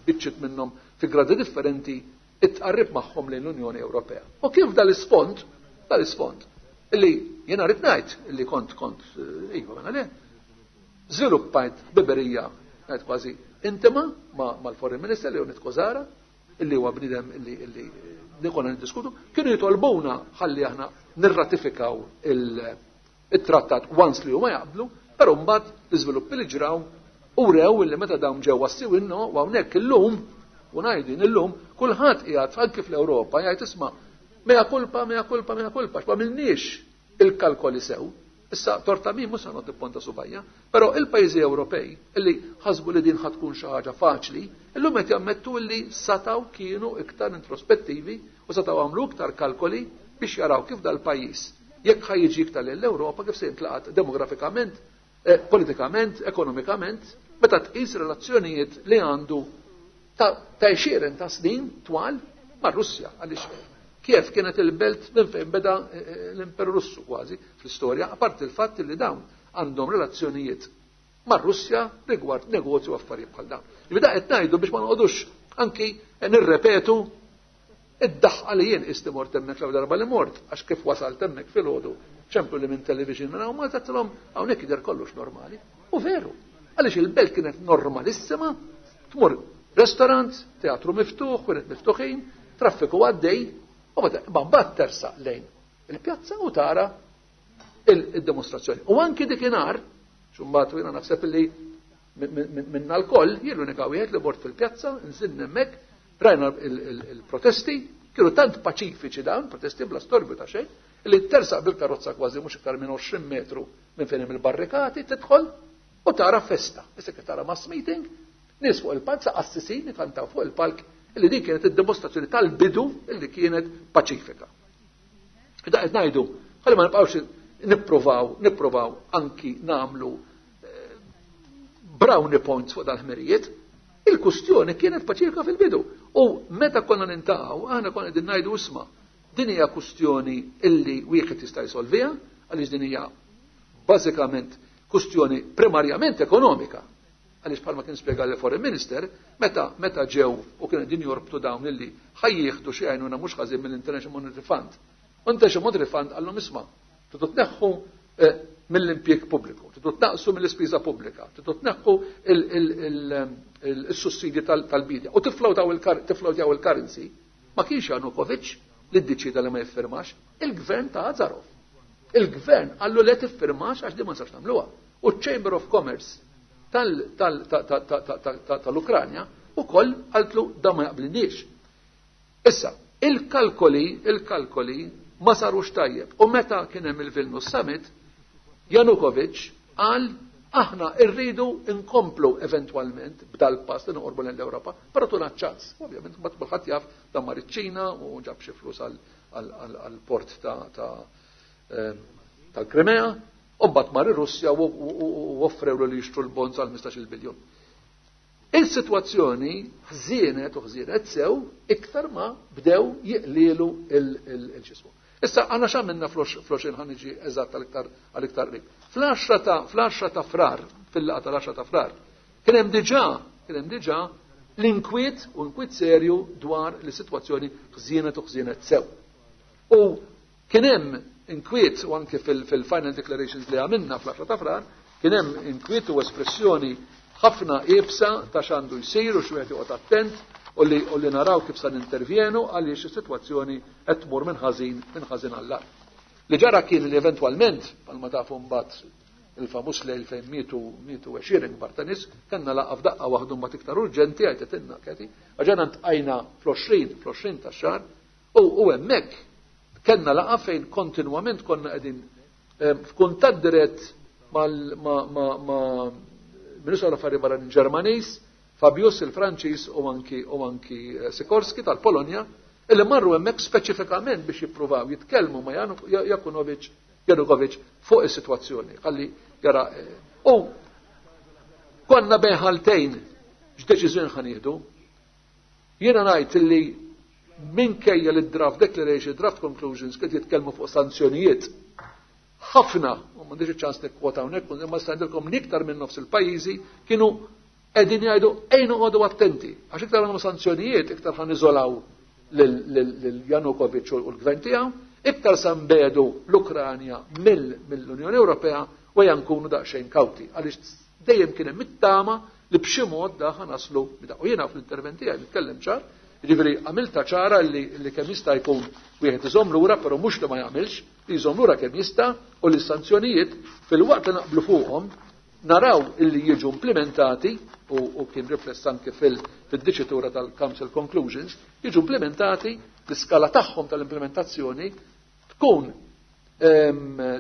biċċiet minnhom fi gradi differenti it-tqarrib magħhom lejn l-Unjoni Ewropea. U kif dal-isfond, dal-isfond, illi jiena rrid ngħid illi kont kont iva mela le, żviluppajt ħbiberija ngħid kważi intima mal-Foreign Minister Leonid Kozara, illi huwa bniedem illi illi li konna niddiskutu, kienu jitolbuna ħalli aħna nirratifikaw il-trattat once li huma jaqblu, però mbagħad l-iżviluppi li ġraw u rew illi meta dawn ġew wassiwinno u hawnhekk illum u ngħidin illum kulħadd qiegħed anke fl-Ewropa jgħid isma' mea culpa, mea culpa, mea culpa, x'ma għamilniex il-kalkoli sew. Issa torta min mhux se noqgħod nipponta subajja, però il-pajjiżi Ewropej illi ħasbu li din ħatkun xi ħaġa faċli, illum qed jammettu li sataw kienu iktar introspettivi u sataw għamlu iktar kalkoli biex jaraw kif dal-pajjiż jekk ħa jiġi iktar lejn l-Ewropa kif se jintlaqat demografikament, eh, politikament, ekonomikament, meta tqis relazzjonijiet li għandu ta' għexieren ta' snin twal mar-Russja għaliex Kiev kienet il-belt minn fejn beda l-Imperu Russu kważi fl-istorja, apart il-fatt li dawn għandhom relazzjonijiet mar-Russja rigward negozju u affarijiet bħal dawn. Jibda qed ngħidu biex ma noqogħdux anki nirrepetu id-daħqa li jien isti mort hemmhekk l darba li mort, għax kif wasalt hemmhekk filgħodu, ċemplu li minn television minn hawn Malta tilhom hawnhekk jidher kollox normali. U veru, għaliex il-belt kienet normalissima, tmur restaurant, teatru miftuħ, kienet miftuħin, traffiku għaddej, u mbagħad tersaq lejn il-pjazza u tara il-demonstrazzjoni. U anki dikinhar, xumbat jiena naħseb li minna l-koll, jien l-unika wieħed li mort fil-pjazza, nżilna hemmhekk, rajna il-protesti, kienu tant paċifiċi dawn, protesti bla storbju ta' xejn, li tersaq bil-karozza kważi mhux iktar minn għoxrin metru minn fejn hemm il-barrikati, tidħol u tara festa. Issa kif tara mass meeting, nies fuq il-palk, qassisin ikantaw fuq il-palk, illi din kienet id-dimostrazzjoni tal-bidu illi kienet paċifika. Da qed ngħidu, ħalli ma nibqgħux nippruvaw, nippruvaw anki nagħmlu brownie points fuq dal-ħmerijiet, il-kustjoni kienet paċifika fil-bidu. U meta konna nintaqgħu, aħna konna qegħdin ngħidu isma', din hija kustjoni illi wieħed jista' jsolviha, għaliex din hija bażikament kwestjoni primarjament ekonomika. Għaliex bħalma kien spjega l-Foreign Minister, meta meta ġew u kienu din jorbtu dawn illi ħajjieħdu xi għajnuna mhux ħażin mill-International Monetary Fund. U International Monetary Fund qallhom isma', tridu tneħħu mill-impjieg pubbliku, tridu tnaqsu mill-ispiża pubblika, tridu tneħħu il-sussidji tal-bidja u tiflowtjaw il-currency. Ma kienx Janukovic li ddeċida li ma jiffirmax, il-gvern ta' Azarov. Il-gvern qallu le tiffirmax għax di ma nistax nagħmluha. U Chamber of Commerce tal-Ukranja u koll qaltlu da ma jaqblinniex. Issa, il-kalkoli, il-kalkoli ma sarux tajjeb. U meta kien hemm il-Vilnius Summit, Janukovic qal aħna rridu nkomplu eventwalment b'dal-pass li noqorbu l-Ewropa, però tuna ċans. Ovvjament, mbagħad kulħadd jaf dan mar iċ-Ċina u ġab xi flus għall-port tal-Krimea, u mbagħad mar ir-Russja u offrew li jixtru l-bonds għal ħmistax-il biljun. Il-sitwazzjoni ħżienet u ħżienet sew iktar ma bdew jiqlielu il-ġismu. Issa għandna x'għamilna fl-għoxrin ħa niġi eżatt għal-iktar qrib. Fl-għaxra ta' Frar, fil-laqgħa tal-għaxra ta' Frar, kien hemm diġà, kien hemm diġà l-inkwiet u inkwiet serju dwar l-sitwazzjoni ħżienet u ħżienet sew. U kien hemm inkwiet u anke fil-final declarations li għamilna fl-għaxra ta' Frar, kien hemm inkwiet u espressjoni ħafna iebsa ta' x'għandu jsir u x'wieħed joqgħod attent u li, u li naraw kif sa nintervjenu għaliex is-sitwazzjoni qed tmur minn ħażin minn ħażin għall-agħar. Li ġara kien li eventwalment, bħalma tafu mbagħad il-famuż lejl fejn mietu mietu għexieren kbar ta' nies, kellna laqgħa f'daqqa waħdu mbagħad iktar urġenti għajtetilna Keti, għaġena ntqajna fl-għoxrin fl-għoxrin tax-xahar u u hemmhekk kellna laqgħa fejn kontinwament konna qegħdin f'kuntatt dirett mal ma ma ma Ministru tal-Affarijiet Barranin Ġermaniż, Fabius il-Franċiż u anki u anki Sikorski tal-Polonja, illi marru hemmhekk speċifikament biex jippruvaw jitkellmu ma' Jakunovic Janukovic fuq is-sitwazzjoni. Ħalli jara u konna bejn ħaltejn x'deċiżjoni ħa nieħdu. Jiena ngħid illi minkejja li draft declaration, draft conclusions kiet jitkellmu fuq sanzjonijiet ħafna, u m'għandix iċ-ċans nikkwota hawnhekk, imma nista' ngħidilkom li iktar minn nofs il-pajjiżi kienu qegħdin jgħidu ejn noqogħdu attenti, għax iktar għandhom sanzjonijiet, iktar ħa niżolaw lil Janukovic u l-gvern tiegħu, iktar sa nbedu l-Ukranja mill-Unjoni Ewropea u ejja nkunu daqsxejn kawti, għaliex dejjem kien hemm it-tama li b'xi mod da ħa naslu bida. U jiena fl-intervent tiegħi nitkellem ċar, jiġifieri għamilta ċara li, li kemm jista' jkun wieħed iżomm lura, però mhux li ma jagħmilx, li jżomm lura kemm jista' u li s-sanzjonijiet fil-waqt li naqblu fuqhom naraw illi jiġu implementati u, u kien rifless anke fil-diċitura tal-Council Conclusions, jiġu implementati l-iskala tagħhom tal-implementazzjoni tkun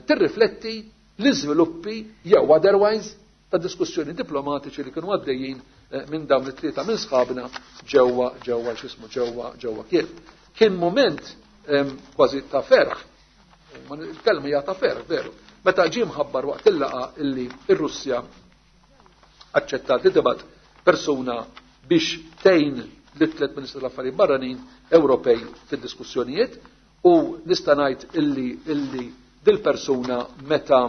tirrifletti l-iżviluppi jew otherwise ta' diskussjoni diplomatiċi li kienu għaddejjin minn dawn it-tlieta minn sħabna ġewwa ġewwa x'ismu ġewwa ġewwa Kiev. Kien moment kważi ta' ferħ, il-kelma hija ta' ferħ, veru. Meta ġie mħabbar waqt il-laqgħa illi r-Russja aċċettat li tibgħat persuna biex tgħin lit-tliet Ministri tal-Affarijiet Barranin Ewropej fid-diskussjonijiet, u nista' ngħid illi illi dil-persuna meta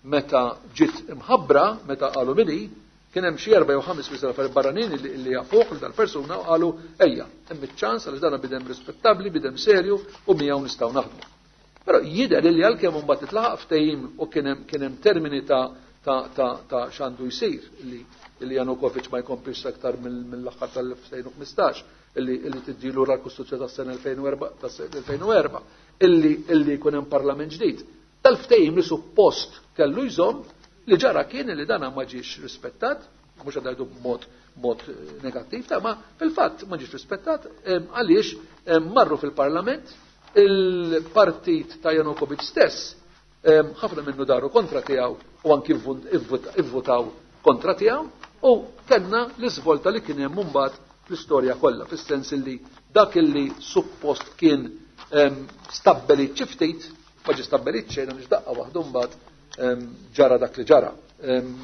meta ġiet imħabbra, meta qalu minni, kien hemm xi erba' jew ħames Ministri tal-Affarijiet Barranin illi, illi jafuh lil dal-persuna u qalu ejja, hemm iċ-ċans għaliex dan bidem rispettabbli, bidem serju u miegħu nistgħu naħdmu. Però jidher li għalkemm imbagħad itlaħaq ftehim u kien hemm kien hemm termini ta' ta' ta' ta' x'għandu jsir li li Janukovic ma jkomplix aktar mill-aħħar tal-elfejn u ħmistax, illi illi tiddilu ra l-Kostituzzjoni tas-sena elfejn u erba', illi illi jkun hemm parlament ġdid. Tal-ftehim li suppost kellu jżomm, li ġara kien li dana ma ġiex rispettat, mhux qed ngħidu b'mod mod negattiv, ta' ma fil-fatt ma ġiex rispettat għaliex marru fil-parlament il-partit ta' Janukovic stess, ħafna minnu daru kontra tiegħu u anki ivvutaw kontra tiegħu, u kellna l-iżvolta li kien hemm mbagħad fl-istorja kollha, fis-sens li dak illi suppost kien stabbelit xi ftit, ma ġie stabbelit xejn għaliex daqqa waħdu mbagħad ġara dak li ġara.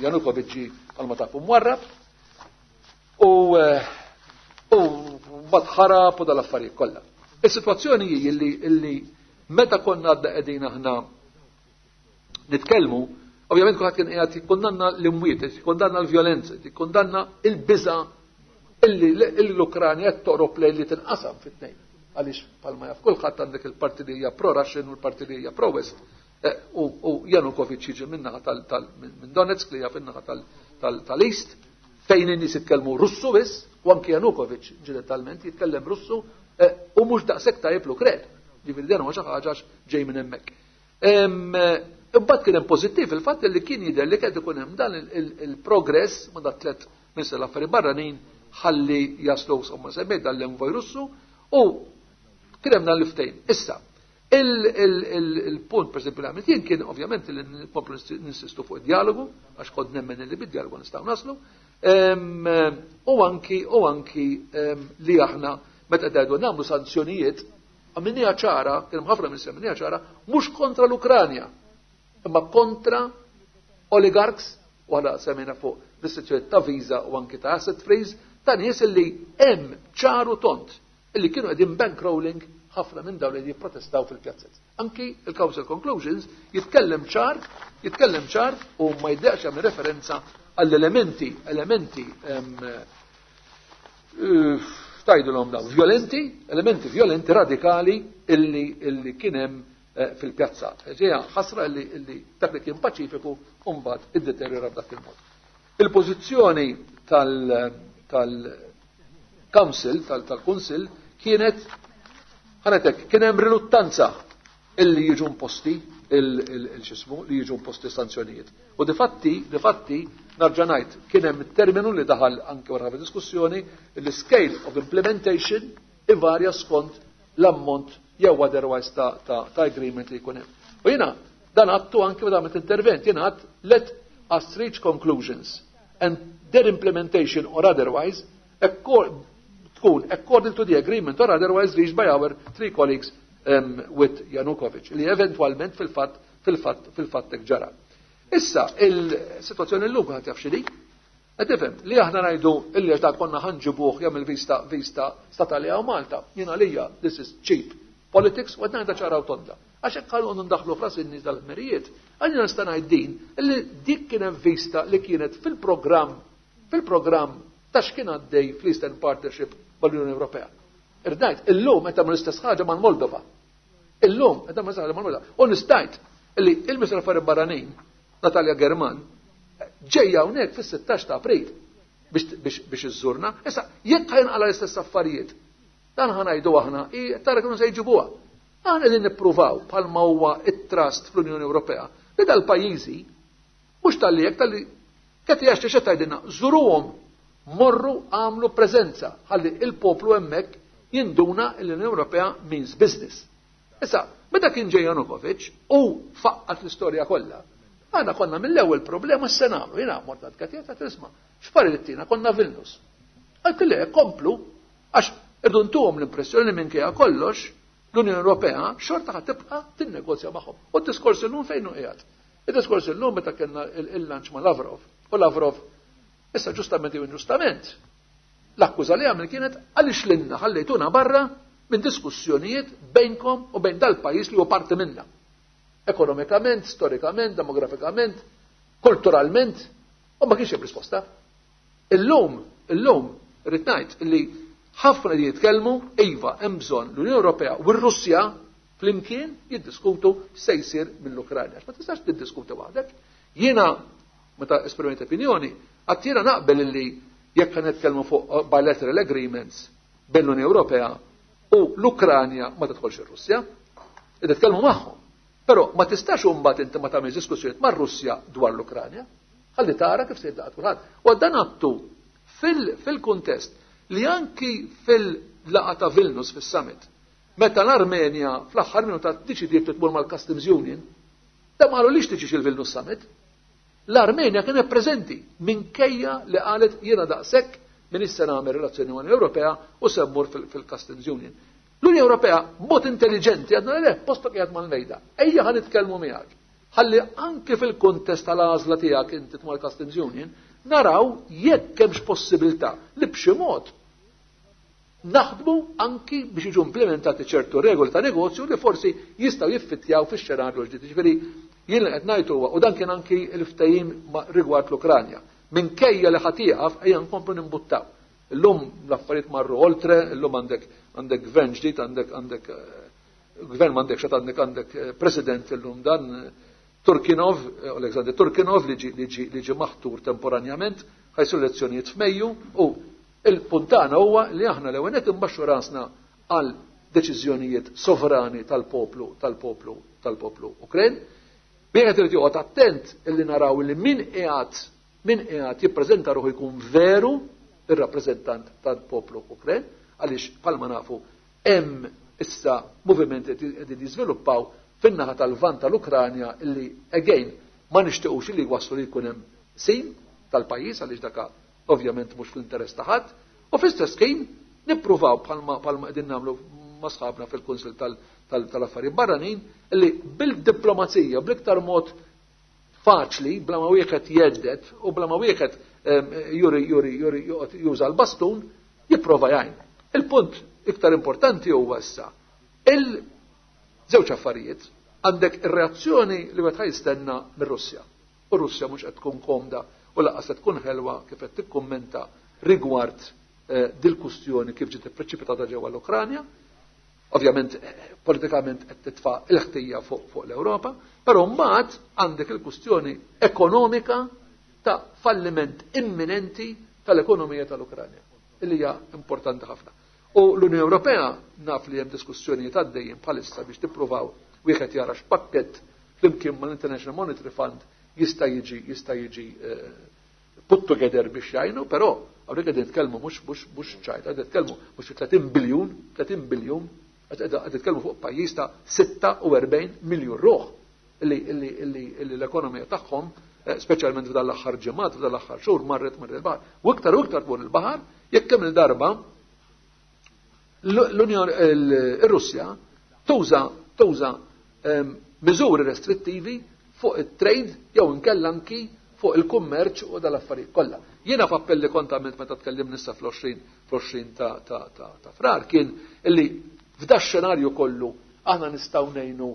Janukovic ġie bħalma tafu mwarrab u u mbagħad ħarab u dal-affarijiet kollha. Is-sitwazzjoni hi illi illi meta konna għadna qegħdin aħna nitkellmu, ovvjament kulħadd kien qiegħed jikkundanna l-imwiet, jikkundanna l-vjolenza, jikkundanna il-biża illi l-Ukranja qed toqrob lejn li tinqasam fit-tnejn. Għaliex bħalma jaf kulħadd għandek il-parti li hija pro-Russian u l-parti li hija pro-West. U Janukovic jiġi min-naħa minn Donetsk li hija fin-naħa tal-East, fejn in-nies jitkellmu Russu biss, u anki Janukovic ġeneralment jitkellem Russu u mhux daqshekk tajjeb l-Ukren. Ġifieri dan huwa xi ħaġa ġej minn hemmhekk. Imbagħad kien hemm pożittiv il-fatt li kien jidher li qed ikun hemm dan il-progress ma' dat tliet ministri l-affarijiet barranin ħalli jaslu insomma semmejt dan l-envoj Russu u kien hemm dan l-ftehim. Issa, il-punt per esempio li għamilt jien kien ovvjament li nkomplu ninsistu fuq id-dialogu, għax kont nemmen li bid-dialogu nistgħu naslu, u anki u anki li aħna meta qegħdu nagħmlu sanzjonijiet għamilniha ċara, kien hemm ħafna minn għamilniha ċara, mhux kontra l-Ukranja, imma kontra oligarchs, u għala semmejna fuq restrizzjoni ta' visa u anki ta' asset freeze, ta' nies illi hemm ċaru tont illi kienu qegħdin bankrolling ħafna minn dawn li jipprotestaw fil-pjazzet. Anki il-Council Conclusions jitkellem ċar, jitkellem ċar u ma jiddejjaqx jagħmel referenza għall-elementi, elementi tajdulhom daw, violenti, elementi violenti radikali illi, illi kien hemm fil-pjazza. Ġeja ħasra illi, illi dak li kien paċifiku mbagħad iddeterjora b'dak il-mod. Il-pożizzjoni tal-Council, tal-Kunsill, kienet ħanetek, kien hemm riluttanza illi jiġu imposti il-xismu, li jiġu imposti sanzjonijiet. U difatti, difatti, nerġa' ngħid, kien hemm terminu li daħal anke wara diskussjoni, li scale of implementation ivarja skont l-ammont jew otherwise ta', ta, ta agreement li jkun hemm. U jiena dan għedtu anke meta għamilt intervent, jiena għedt let us reach conclusions and their implementation or otherwise tkun according to the agreement or otherwise reached by our three colleagues um, with Yanukovych, li eventualment fil-fatt fil-fatt fil-fatt ġara. Issa, il-situazzjoni l-lum għat jaf x'inhi, qed tifhem li aħna ngħidu illi għax konna ħa nġibuh jagħmel vista vista statali hawn Malta. Jiena lija this is cheap politics u qed ngħidha ċara u tonda. Għax hekk ħallu ndaħlu f'ras in-nies dal-ħmerijiet, għalina nista' ngħid din illi dik kien hemm vista li kienet fil-programm fil-programm ta' x'kien għaddej fl-Eastern Partnership mal-Unjoni Ewropea. Irdajt, illum qed tagħmel l-istess ħaġa mal-Moldova. Illum qed tagħmel l-istess ħaġa mal-Moldova. U nistajt illi il-Ministru Affarijiet Barranin, Natalia German, ġejja hawnhekk fis-sittax ta' April biex biex iżżurna. Issa jekk ħa jinqala l-istess affarijiet, dan ħa ngħidu aħna, tara kienu se jġibuha. Aħna qegħdin nippruvaw bħalma huwa it-trust fl-Unjoni Ewropea li dal-pajjiżi mhux talli jekk talli qed jaxxi xi tgħidilna żuruhom, morru għamlu preżenza ħalli il-poplu hemmhekk jinduna l-Unjoni Ewropea means business. Issa, meta kien ġej Janukovic u faqqat l-istorja kollha, aħna konna mill-ewwel problema x'se nagħmlu. Jiena mort għand Katja tisma' x'pari li tina konna Vilnius. Għalt le komplu għax irdu ntuhom l-impressjoni minkejja kollox l-Unjoni Ewropea xorta ħa tibqa' tinnegozja magħhom. U d-diskors illum fejn hu qiegħed? Id-diskors illum meta kellna il-lunch ma' Lavrov. U Lavrov issa ġustament jew inġustament l-akkuża li għamel kienet għaliex lilna ħallejtuna barra minn diskussjonijiet bejnkom u bejn dal-pajjiż li huwa parti minna. Ekonomikament, storikament, demografikament, kulturalment, u ma kienx hemm risposta. Illum, illum, irrid ngħid li ħafna li jitkellmu, iva, hemm bżonn l-Unjoni Ewropea u r-Russja flimkien jiddiskutu se jsir mill-Ukranja. Ma tistax tiddiskuti waħdek. Jiena meta esprimejt opinjoni, għedt jiena naqbel illi jekk ħa nitkellmu fuq bilateral agreements bejn l-Unjoni Ewropea u l-Ukranja ma tidħolx ir-Russja, nitkellmu magħhom. Però ma tistax imbagħad inti ma tagħmel diskussjonijiet mar-Russja dwar l-Ukranja. Ħalli tara kif se jibda kulħadd. U dan għedtu fil-kuntest li anki fil-laqgħa ta' Vilnius fis-summit, meta l-Armenja fl-aħħar minuta ddeċidiet tmur mal-Customs Union, da ma qalulix tiġix il-Vilnius Summit. L-Armenja kienet preżenti minkejja li qalet jiena daqshekk minn issa nagħmel relazzjoni mal-Unjoni Ewropea u se mmur fil-Customs Union. L-Unjoni Ewropea mod intelligenti għedna le postok qiegħed mal-mejda. Ejja ħa nitkellmu miegħek. Ħalli anke fil-kuntest tal-għażla tiegħek inti tmur Customs Union, naraw jekk hemmx possibilità li b'xi mod naħdmu anki biex jiġu implementati ċertu regoli ta' negozju li forsi jistgħu jiffittjaw fix-xenarju ġdid. Ġifieri Jien li qed ngħid huwa, u dan kien anki l-ftehim rigward l-Ukranja. Minkejja li ħa tieqaf, ejja nkomplu nimbuttaw. Illum l-affarijiet marru oltre, illum għandek għandek gvern ġdid, għandek għandek gvern m'għandek xat għandek għandek president illum dan Turkinov, Alexander Turkinov li ġi li ġi li ġi maħtur temporanjament, ħa jsiru elezzjonijiet f'Mejju, u il-punt tagħna huwa li aħna l-ewwel nett imbaxxu rasna għal deċiżjonijiet sovrani tal-poplu tal-poplu tal-poplu Ukren. Wieħed irid joqgħod attent illi naraw li min qiegħed min qiegħed jippreżenta ruħu jkun veru ir-rappreżentant tal-poplu Ukren, għaliex bħalma nafu hemm issa movimenti qegħdin jiżviluppaw fin-naħa tal-Lvant tal-Ukranja illi again ma nixtiequx li waslu li jkun hemm sin tal-pajjiż, għaliex daka ovvjament mhux fl-interess ta' ħadd, u fl-istess ħin nippruvaw bħalma bħalma qegħdin nagħmlu ma' sħabna fil-Kunsill tal-Affarijiet Barranin illi bil-diplomazija bl-iktar mod faċli, bla ma wieħed jeddet u bla ma wieħed juri juri juri juża l-bastun, jipprova jgħin. Il-punt iktar importanti huwa issa il-żewġ affarijiet. Għandek ir-reazzjoni li wieħed jistenna mir-Russja. U Russja mhux qed tkun komda u lanqas qed tkun ħelwa kif qed tikkummenta rigward dil-kustjoni kif ġiet ippreċipitata ġewwa l-Ukranja. Ovvjament politikament qed titfa' l-ħtija fuq fuq l-Ewropa, però mbagħad għandek il-kustjoni ekonomika ta' falliment imminenti tal-ekonomija tal-Ukranja, illi hija importanti ħafna. U l-Unjoni Ewropea naf li hemm diskussjonijiet għaddejjin bħalissa biex tippruvaw wieħed jara x'pakkett flimkien mal-International Monetary Fund jista' jiġi jista' jiġi put together biex jgħinu, però hawnhekk qegħdin nitkellmu mhux mhux mhux ċajt, qegħdin nitkellmu mhux tletin biljun, tletin biljun, qed nitkellmu fuq pajjiż ta' sitta u erbgħin miljun ruħ illi illi illi illi l-ekonomija tagħhom, speċjalment f'dan l-aħħar ġimgħat, f'dan l-aħħar xhur, marret marret il-baħar. U iktar u iktar tmur il-baħar jekk kemm il-darba l-Unjoni ir-Russja tuża tuża miżuri restrittivi fuq it-trade jew inkella anki fuq il-kummerċ u dal-affarijiet kollha. Jiena f'appelli kont għamilt meta tkellimna issa fl-għoxrin fl-għoxrin ta' ta' ta' ta' Frar kien illi f'da xenarju kollu aħna nistgħu ngħinu,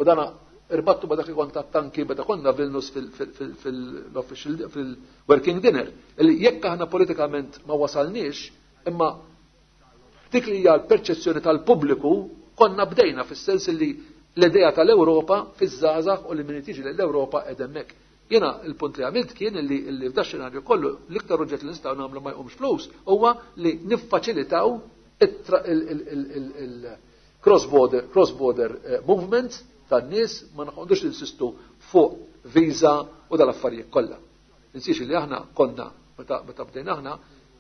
u dana irbattu ma dak li kont għat-tanki meta konna Vilnius fil-official fil-working dinner, illi jekk aħna politikament ma wasalniex, imma dik li hija l-perċezzjoni tal-pubbliku konna bdejna fis-sens li l-idea tal-Ewropa fiż-żgħażagħ u li min tiġi l-Ewropa qed hemmhekk. Jiena il-punt li għamilt kien illi illi f'da xenarju kollu l-iktar oġġett li nistgħu nagħmlu ma jqumx flus huwa li niffaċilitaw il-cross-border cross-border movement tan-nies, ma noqogħdux ninsistu fuq visa u dal-affarijiet kollha. Ninsiex li aħna konna meta meta bdejna aħna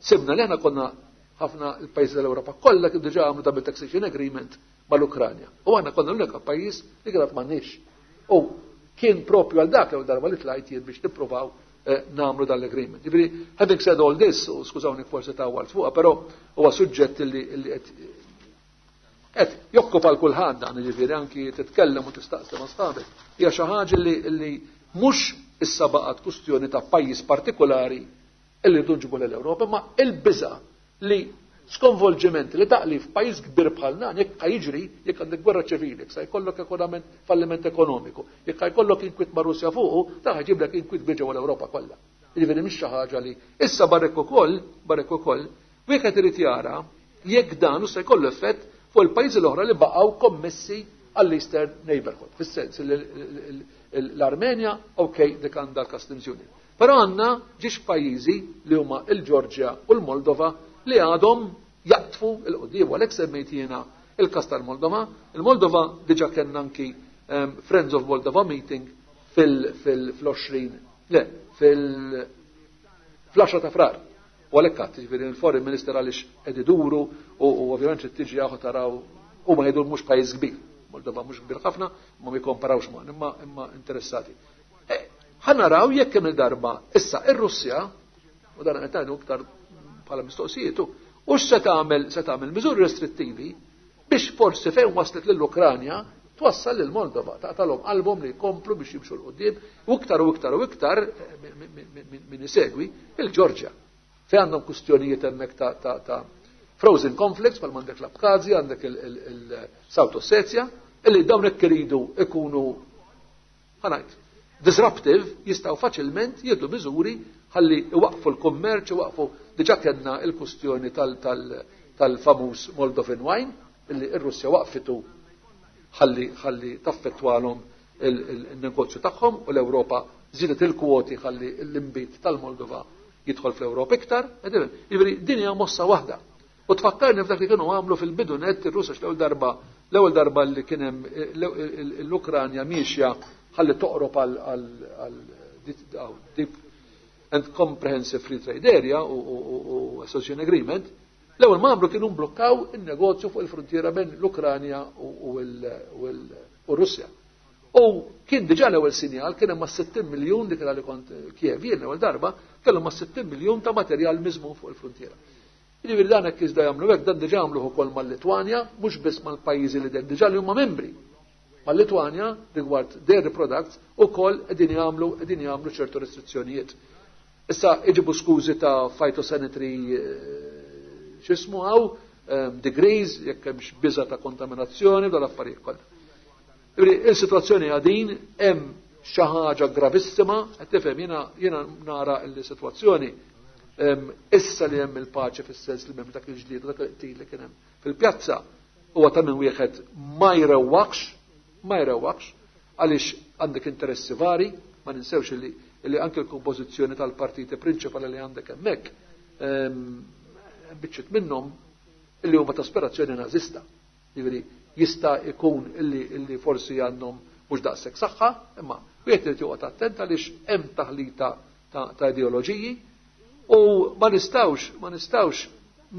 sibna li aħna konna ħafna l-pajjiżi tal-Ewropa kollha kif diġà għamlu double taxation agreement mal-Ukranja. U aħna konna l-unika pajjiż li kienet m'għandniex. U kien propju għal dak l-ewwel darba li tlajt jien biex nippruvaw nagħmlu dan l-agreement. Jiġifieri, having said all this, u skużawni forsi tawwalt fuqha, però huwa suġġett li qed qed jokkupa l kulħadd dan, jiġifieri anki titkellem u tistaqsi ma' sħabek. Hija xi ħaġa li li mhux issa baqgħet kwistjoni ta' pajjiż partikolari illi rridu nġibu l-Ewropa, ma il-biża' li skonvolġiment li taqli f'pajjiż kbir bħal dan, jekk jiġri, jekk għandek gwerra ċivili, jekk se jkollok ekonomament falliment ekonomiku, jekk jkollok inkwit ma' Russja fuqu, ta' ħaġiblek inkwit kbir ġewwa l-Ewropa kollha. Jiġifieri mhix xi ħaġa li issa barek ukoll, barek ukoll, wieħed irid jara jekk dan se jkollu effett fuq il-pajjiżi l-oħra li baqgħu kommessi għall-Eastern Neighborhood. Fis-sens l-Armenja, ok, dik għandha l-Customs Union. Però għandna ġiex pajjiżi li huma il-Ġorġja u l-Moldova li għadhom jaqtfu il-qudiem, għalhekk semmejt jiena il-kas tal-Moldova. Il-Moldova diġà kellna anki Friends of Moldova meeting fil-għoxrin, le, fil-għaxra ta' Frar. U għalhekk għadd, jiġifieri il-Foreign Minister għaliex qed iduru u ovvjament trid tiġi hawn taraw huma jgħidu mhux pajjiż kbir. Moldova mhux kbir ħafna, ma jikkomparawx ma, imma imma interessati. Ħa naraw jekk kemm il-darba issa ir-Russja, u dan qed ngħidu iktar bħala mistoqsijiet, u x'se tagħmel, se tagħmel miżuri restrittivi biex forsi fejn waslet lill-Ukranja twassal lil Moldova, taqtalhom qalbhom li jkomplu biex jimxu 'l quddiem, u iktar u iktar u iktar min isegwi il-Ġorġja. Fejn għandhom kwistjonijiet hemmhekk ta', ta, ta' frozen conflicts, bħal m'għandek l-Abkhazja, għandek il-South Ossetia, illi dawn hekk iridu ikunu ħa ngħid, disruptive, jistgħu faċilment jieħdu miżuri ħalli iwaqfu l-kummerċ, iwaqfu. Diġà kellna il-kustjoni tal-famuż Moldovan wine illi r-Russja waqfitu ħalli ħalli taffettwalhom il-negozju tagħhom, u l-Ewropa żiedet il-kwoti ħalli l-imbit tal-Moldova jidħol fl-Ewropa iktar. Jiġifieri din hija mossa waħda. U tfakkarni f'dak li kienu għamlu fil-bidu net ir-Russja, l-ewwel darba l-ewwel darba li kien hemm l-Ukranja miexja ħalli toqrob għal Deep and Comprehensive Free Trade Area u Association Agreement, l-ewwel ma għamlu kienu mblukkaw in-negozju fuq il-frontiera bejn l-Ukranja u r-Russja. U kien diġà l-ewwel sinjal, kien hemm sittin miljun dik li kont Kiev jien l-ewwel darba, kellhom ma' sittin miljun ta' materjal miżmum fuq il-frontiera. Jiġifieri dan hekk iżda jagħmlu hekk, dan diġà għamluh ukoll mal-Litwanja, mhux biss mal-pajjiżi li diġà li huma membri. Mal-Litwanja rigward dairy products ukoll qegħdin jagħmlu qegħdin jagħmlu ċertu restrizzjonijiet. Issa iġibu skużi ta' phytosanitary x'ismu hawn, degrees, jekk hemmx biża ta' kontaminazzjoni, dal affarijiet kollha. Il-sitwazzjoni għadin hemm xi ħaġa gravissima, qed tifhem, jiena jiena nara l-sitwazzjoni issa li hemm il-paċi fis-sens li m'hemm dak il-ġlied u dak il-qtil li kien hemm fil-pjazza, huwa ta' min wieħed ma jrewwaqx, ma jrewwaqx, għaliex għandek interessi vari, ma ninsewx li li anke l-kompożizzjoni tal-partiti prinċipali li għandek hemmhekk biċċiet minnhom illi huma ta' aspirazzjoni nażista. Jiġifieri jista' jkun illi illi forsi għandhom mhux daqshekk saħħa, imma wieħed irid joqgħod attent għaliex hemm taħlita ta' ideoloġiji u ma nistgħux ma nistgħux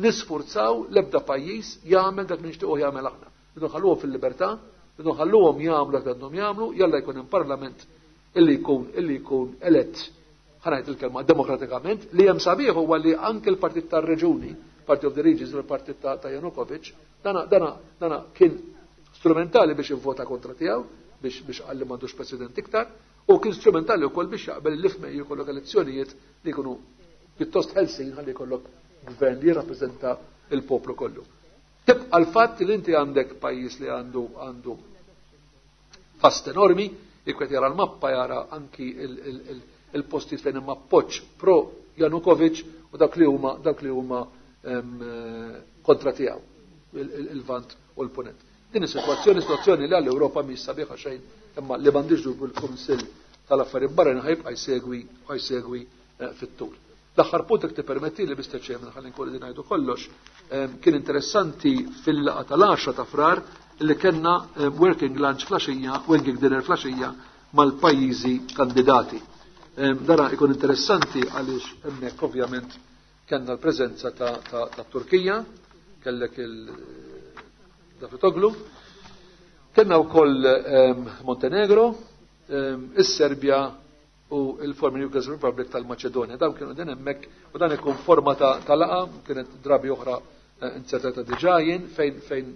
nisfurzaw l-ebda pajjiż jagħmel dak li nixtiequ jagħmel aħna. Irridu nħalluhom fil-libertà, irridu nħalluhom jagħmlu dak li għandhom jagħmlu, jalla jkun hemm parlament illi jkun illi jkun elett, ħa ngħid il-kelma, demokratikament. Li hemm sabiħ huwa li anke l-Partit tar-Reġuni, Party of the Regions, il-partit ta' Janukovic, dana dana dana kien strumentali biex ivvota kontra tiegħu, biex biex qal li m'għandux president iktar, u kien strumentali wkoll biex jaqbel li f'Mejju jkollok elezzjonijiet li jkunu pjuttost ħelsin ħalli jkollok gvern li jirrappreżenta il-poplu kollu. Tibqa' l-fatt li inti għandek pajjiż li għandu għandu fast enormi, jekk qed jara l-mappa jara anki il-postijiet fejn hemm appoġġ pro Janukovic u dak li huma dak li huma kontra tiegħu, il-Lvant u l-Punent. Din is-sitwazzjoni, sitwazzjoni li għall-Ewropa mhix sabiħa xejn, imma li m'għandix dubju l-Kunsill tal-Affarijiet Barranin ħajbqa' jsegwi ħajsegwi fit-tul. L-aħħar punt, jekk tippermetti li, Mister Chairman, ħalli nkun qegħdin ngħidu kollox, kien interessanti fil-laqgħa tal-għaxra ta' Frar li kellna working lunch flaxija, working dinner flaxija mal-pajjiżi kandidati. Dara ikun interessanti għaliex hemmhekk ovvjament kellna l-preżenza ta', ta, ta Turkija, kellek il-Davutoglu, kellna wkoll Montenegro, is-Serbja u il-former Yugoslav Republic tal-Maċedonja. Dawn kienu din hemmhekk u dan ikun forma ta', ta laqa, kienet drabi oħra insertata diġà jien, fejn fejn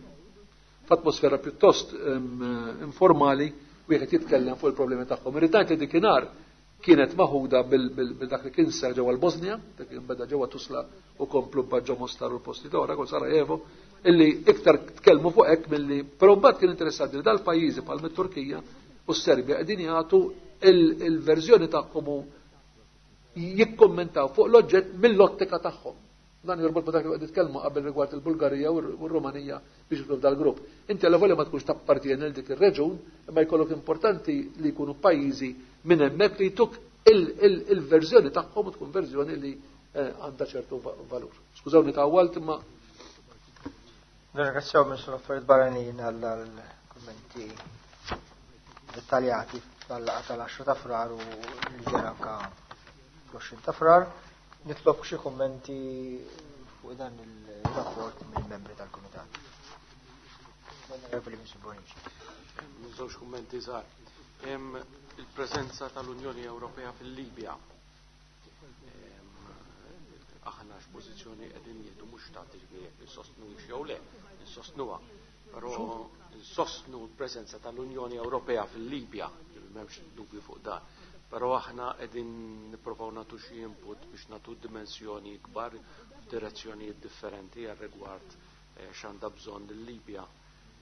f'atmosfera pjuttost informali wieħed jitkellem fuq il-problemi tagħhom. Irrid ngħid li dikinhar kienet maħuda bil-dak li kien seħ ġewwa l-Bosnia, dak kien beda ġewwa Tusla u komplu ġo Mostar u l-posti oħra, kol Sarajevo, illi iktar tkellmu fuq hekk milli, però mbagħad kien interessanti li dal-pajjiżi bħal mit-Turkija u s-Serbja qegħdin jagħtu il-verżjoni tagħhom u jikkommentaw fuq l-oġġett mill-ottika tagħhom. Dan jorbot ma dak li qed nitkellmu qabel rigward il-Bulgarija u r-Rumanija biex jidħlu f'dal-grupp. Inti alla volja ma tkunx tappartieni lil dik ir-reġun, imma jkollok importanti li jkunu pajjiżi minn hemmhekk li jtuk il-verżjoni tagħhom u tkun verżjoni li għandha ċertu valur. Skużawni tawwalt, imma Nirringrazzjaw Ministru l-Affarijiet Barranin għall-kummenti dettaljati tal-laqgħa tal-għaxra ta' Frar u li ġara anka fl-għoxrin ta' Frar. Nitlob xi kummenti fuq dan il-rapport mill-membri tal-Kumitat. Onorevoli Ministru Bonnici. Żewġ kummenti żgħar. Il-preżenza tal-Unjoni Ewropea fil-Libja. Aħna x'pożizzjoni qegħdin jieħdu, mhux ta' jekk insostnu jew le, insostnuha. Però insostnu l-preżenza tal-Unjoni Ewropea fil-Libja, m'hemmx dubju fuq dan. Però aħna qegħdin nippruvaw nagħtu xi input biex nagħtu dimensjoni kbar f'direzzjonijiet differenti għal rigward x'għandha bżonn il-Libja.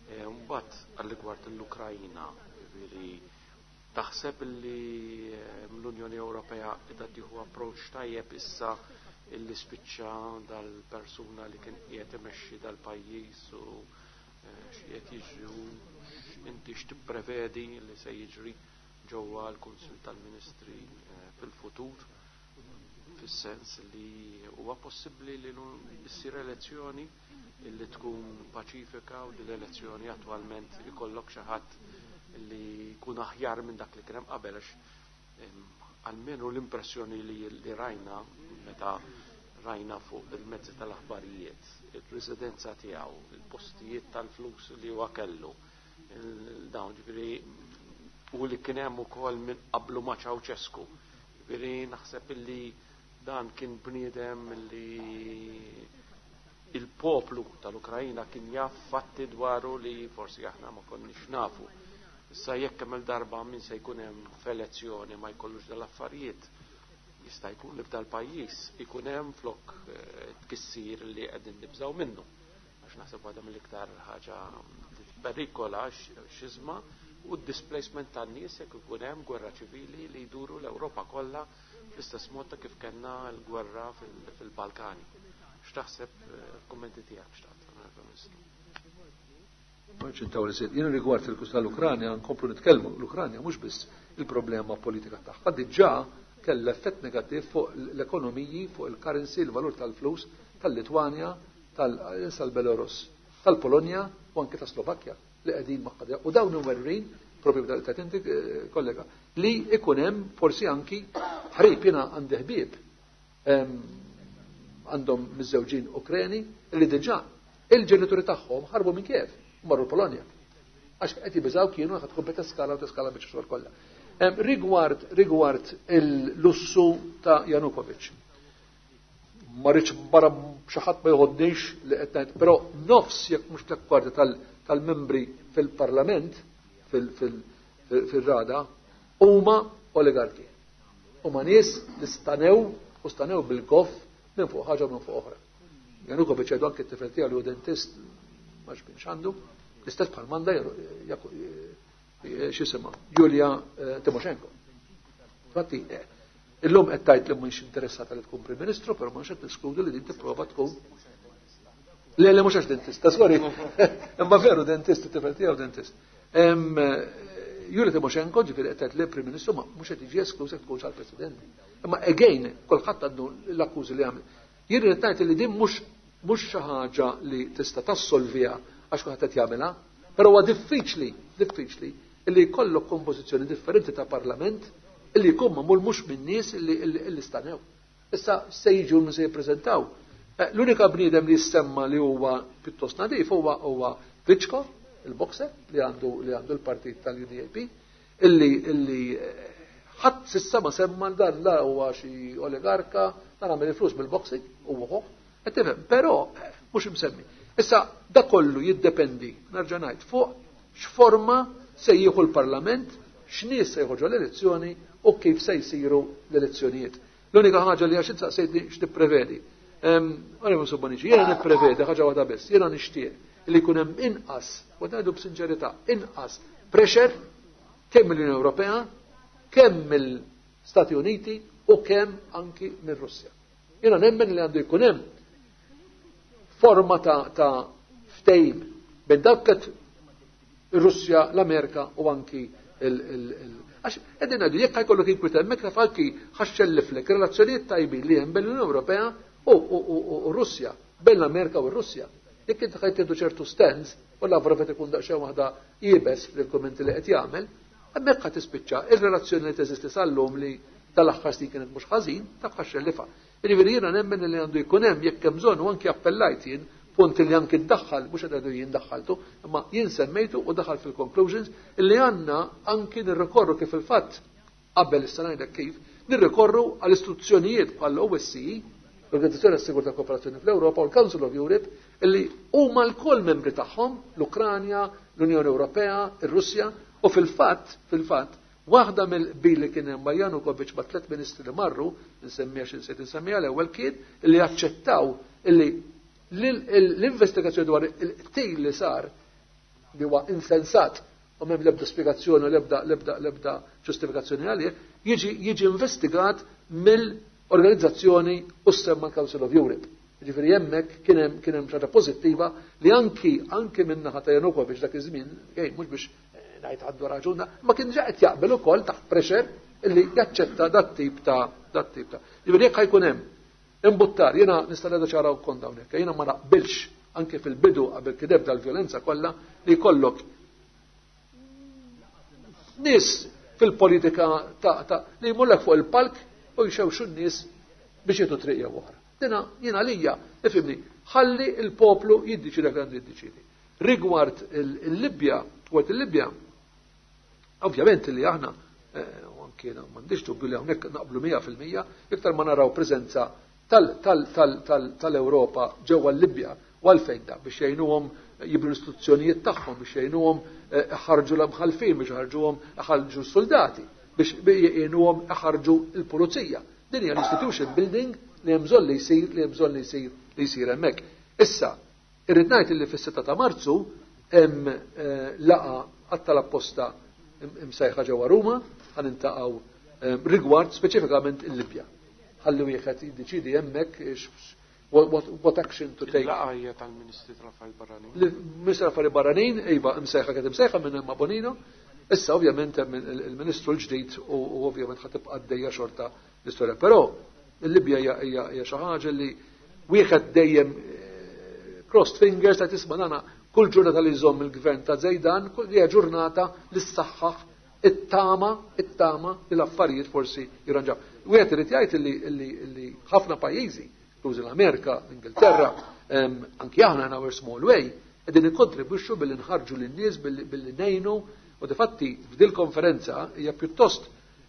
Mbagħad għal rigward l-Ukrajna, jiġifieri Taħseb li l-Unjoni Ewropea qiegħda tieħu approach tajjeb issa illi spiċċa dal-persuna li kien qiegħed imexxi dal-pajjiż u x'qiegħed jiġri u inti x'tipprevedi li se jiġri ġewwa l-Kunsill tal-Ministri fil-futur, fis-sens li huwa possibbli li ssir elezzjoni illi tkun paċifika u li l-elezzjoni attwalment ikollok xi ħadd li jkun aħjar minn dak li kien hemm qabel, għax almenu l-impressjoni li, li rajna meta rajna fuq il-mezzi tal-aħbarijiet, il-residenza tiegħu, il-postijiet tal-flus li huwa kellu, dawn ġifieri u li kien hemm ukoll minn qablu ma' Ceausescu. Ġifieri naħseb illi dan kien bniedem li il-poplu tal-Ukrajina kien jaf fatti dwaru li forsi aħna ma konniex nafu. Issa jekk kemm il-darba min se jkun hemm f'elezzjoni ma jkollux dal-affarijiet, jista' jkun li f'dal-pajjiż ikun hemm flok tkissir li qegħdin nibżgħu minnu. Għax naħseb waħda mill-iktar ħaġa li perikola xiżma u d-displacement tan-nies jekk ikun hemm gwerra ċivili li jduru l-Ewropa kollha fl-istess mod ta' kif kellna l-gwerra fil-Balkani. X'taħseb kummenti tiegħek x'taqt, Ministru? Ċintaw li sejt, jien rigward il-kus tal-Ukranja nkomplu nitkellmu, l-Ukranja mhux biss il-problema politika tagħha, diġà kellha effett negattiv fuq l-ekonomiji, fuq il-currency, il-valur tal-flus tal-Litwanja, tal-Belarus, tal-Polonja u anke ta' Slovakkja li qegħdin magħha. U dawn imwerrin, propju b'dal ta' inti kollega, li ikun hemm forsi anki ħrib. Jiena għandi ħbieb għandhom miżżewġin Ukreni li diġà il-ġenituri tagħhom ħarbu minn Kiev, marru l-Polonja. Għax qed jibżgħu kienu ħad tkun teskala u teskala biex xogħol kollha. Rigward rigward il-lussu ta' Janukovic. Ma rridx barra xi ħadd ma jħoddix li qed ngħid, però nofs jekk mhux tliet kwarti tal-membri fil-Parlament fil-Rada huma oligarki. Huma nies li stanew u stanew bil-goff minn fuq ħaġa minn fuq oħra. Janukovic għadu anke t-tifel tiegħu li hu dentist ma xbinx għandu, l-istess bħal manda x'jisimha Julia Timoshenko. Infatti illum qed tgħid li mhux interessata li tkun Prim Ministru, però mhux qed tiskludi li din tipprova tkun. Le le mhux għax dentista, sorry. Imma veru dentist, it-tifel tiegħu dentist. Julia Timoshenko ġifieri qed tgħid li Prim Ministru ma mhux qed jiġi esklus jekk tkunx għall-President. Imma again kulħadd għandu l-akkużi li għamel. Jien irid ngħid li din mhux mhux xi ħaġa li tista' tassolviha għax kulħadd qed jagħmilha, però huwa diffiċli, diffiċli li jkollok kompożizzjoni differenti ta' parlament illi jkun magħmul mhux minn nies illi stanew. Issa se jiġu u se jippreżentaw. L-unika bniedem li jissemma li huwa pjuttost nadif huwa huwa Klitschko, il-boxer li għandu li għandu l-partit tal-U D A P, illi illi ħadd s'issa ma semma dan la huwa xi oligarka, dan għamel il-flus bil-boxing u ħoħ, qed tifhem, però mhux imsemmi. Issa da kollu jiddependi, nerġa' ngħid, fuq x'forma se jieħu l-Parlament, x'nies se jħorġu l-elezzjoni u kif se jsiru l-elezzjonijiet. L-unika ħaġa li għax insaqsejtni x'tipprevedi. Onorevoli Subbonici, jiena nipprevedi ħaġa waħda biss, jiena nixtieq li jkun hemm inqas, u ngħidu b'sinċerità, inqas pressure kemm mill-Unjoni Ewropea, kemm mill-Stati Uniti u kemm anki mir-Russja. Jiena nemmen li għandu jkun hemm forma ta', ta ftehim bejn dawk qed ir-Russja, l-Amerika u anki il, il, il għax qegħdin ngħidu jekk ħajkollok inkwiet hemmhekk taf anki ħaxxelliflek relazzjonijiet tajbin li hemm bejn l-Unjoni Ewropea u, u, u, u Russja, bejn l-Amerika u r-Russja. Jekk inti ħajt tieħdu ċertu stands u Lavrov qed ikun daqsxejn waħda iebes fil-kummenti li qed jagħmel, hemmhekk ħa tispiċċa ir-relazzjoni li teżisti sal-lum li tal-aħħar snin kienet mhux ħażin, taf ħaxxellifa. Jiġifieri jiena nemmen li għandu jkun hemm jekk hemm bżonn u anki appellajt jien punt li anki ddaħħal, mhux qed ngħidu jien daħħaltu, imma jien semmejtu u daħal fil-conclusions illi għandna anki nirrikorru kif il-fatt qabel issa ngħidlek kif, nirrikorru għal istituzzjonijiet bħal O S C E, l-Organizzazzjoni għas-Sigurtà Kooperazzjoni fl-Ewropa u l-Council of Europe, illi huma lkoll membri tagħhom, l-Ukranja, l-Unjoni Ewropea, ir-Russja, u fil-fatt, fil-fatt, waħda mill-qbil li kien hemm ma' Janukovic ma' tliet ministri li marru, nsemmiha xi nsejt nsemmiha l-ewwel kien illi aċċettaw illi l-investigazzjoni dwar il-qtil li sar li huwa insensat u m'hemm l-ebda spjegazzjoni u l-ebda l-ebda l-ebda ġustifikazzjoni għalih, jiġi jiġi investigat mill-organizzazzjoni u semma Council of Europe. Ġifieri hemmhekk kien hemm kien hemm ħaġa pożittiva li anki anki min-naħa ta' Janukovic dak iż-żmien, mhux biex ngħid għandu raġun, ma kien ġa qed jaqbel ukoll taħt pressure illi jaċċetta dat tip ta' dat tip ta'. Ġifieri jekk ħajkun hemm imbuttar, jiena nista' ngħidu ċara wkoll hawnhekk, jiena ma naqbilx anke fil-bidu qabel kien ebda l-vjolenza kollha li jkollok nies fil-politika ta' ta' li jmullek fuq il-palk u jxewxu n-nies biex jieħdu triq jew oħra. Dina jiena lija, ifhimni, ħalli il-poplu jiddeċidi dak għandu jiddeċidi. Rigward il-Libja, rigward il-Libja, ovvjament li aħna u anke m'għandix dubju li hawnhekk naqblu mija fil-mija, iktar ma naraw preżenza tal-Ewropa ġewwa l-Libja u għalfejn da biex jgħinuhom jibnu l-istituzzjonijiet tagħhom, biex jgħinuhom ħarġu l-imħalfin, biex ħarġuhom ħarġu s-soldati, biex jgħinuhom ħarġu l-pulizija. Din hija l-institution building li hemm bżonn li jsir, li hemm bżonn li jsir li jsir hemmhekk. Issa, irrid ngħid li fis-sitta ta' Marzu hemm laqgħa għat-tal-apposta imsejħa ġewwa Ruma, ħa nintaqgħu rigward speċifikament il-Libja. Ħalli wieħed jiddeċidi hemmhekk what, what, what action to take. Il-laqgħa hija tal-Ministri tal-Affarijiet Barranin. Il-Ministri tal-Affarijiet Barranin, iva, imsejħa kienet imsejħa minn Emma Bonino. Issa ovvjament hemm il-Ministru l-ġdid u ovvjament ħa tibqa' għaddejja xorta l-istorja. Però il-Libja hija xi ħaġa li wieħed dejjem crossed fingers ta' tisma' nana kull ġurnata li jżomm il-gvern ta' Zejdan, kull hija ġurnata li ssaħħaħ it-tama, it-tama li l-affarijiet forsi jirranġaw. Wieħed irid jgħid li li ħafna pajjiżi, inklużi l-Amerika, l-Ingilterra, anki aħna in our small way, qegħdin ikkontribwixxu billi nħarġu lin-nies billi ngħinu, u difatti f'dil konferenza hija pjuttost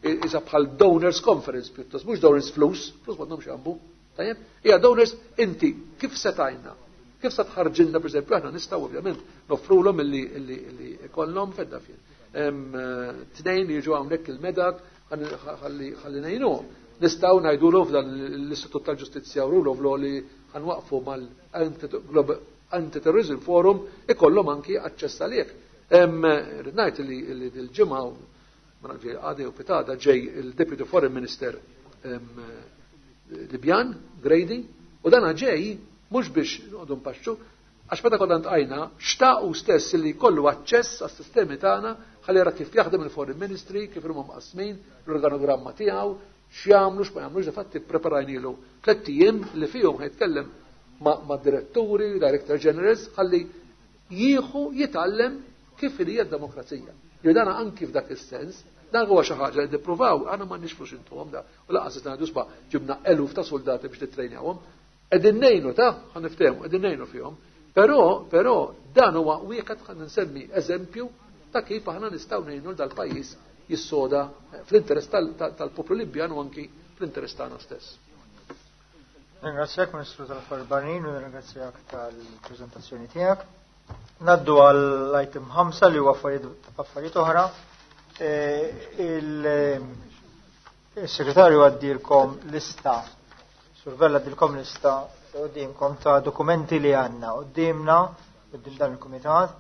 iża bħal donors conference pjuttost, mhux donors flus, flus m'għandhomx jambu, tajjeb, hija donors inti kif se tajna, kif se tħarġilna pereżempju aħna nistgħu ovvjament noffrulhom illi illi ikollhom fedda fien. Tnejn li jiġu hawnhekk il-medak ħalli ngħinuhom. Nistgħu ngħidulhom f'dan l-Istitut tal-Ġustizzja u Rule of Law li ħanwaqfu mal-Anti-Terrorism Forum ikollhom anki aċċess għalih. Rrid ngħid li dil-ġimgħa ma nafx għadi u pitada ġej il-Deputy Foreign Minister Libjan, Grady, u dana ġej mhux biex noqogħdu npaxxu, għax meta konna ntqajna xtaqu stess li jkollu aċċess għas-sistemi tagħna ħalli jara kif jaħdem il-Foreign Ministry, kif huma mqasmin, l-organogramma tiegħu, x'jagħmlu, x'ma jagħmlux, difatti ppreparajnilu tliet ijiem li fihom ħajtkellem ma' diretturi, director generals, ħalli jieħu jitgħallem kif hija d-demokrazija. Jew dana anki f'dak is-sens, dan huwa xi ħaġa li nippruvaw, aħna m'għandniex flus intuhom da, u lanqas qed ngħidu sba' ġibna eluf ta' soldati biex nittrejnjawhom. Qegħdin ngħinu ta' ħa niftehmu, qegħdin ngħinu fihom. Però, però dan huwa wieħed ħa nsemmi eżempju ta' kif aħna nistgħu ngħinu dal-pajjiż jissoda fl-interess tal-poplu Libjan u anki fl-interess tagħna stess. Ringrazzjak Ministru tal-Affarijiet Barranin u ringrazzjak tal-preżentazzjoni tiegħek. Naddu għall-item ħamsa li huwa affarijiet oħra. Il-segretarju għaddilkom lista, Survella għaddilkom lista qudiemkom ta' dokumenti li għandna qudiemna quddiem dan il-kumitat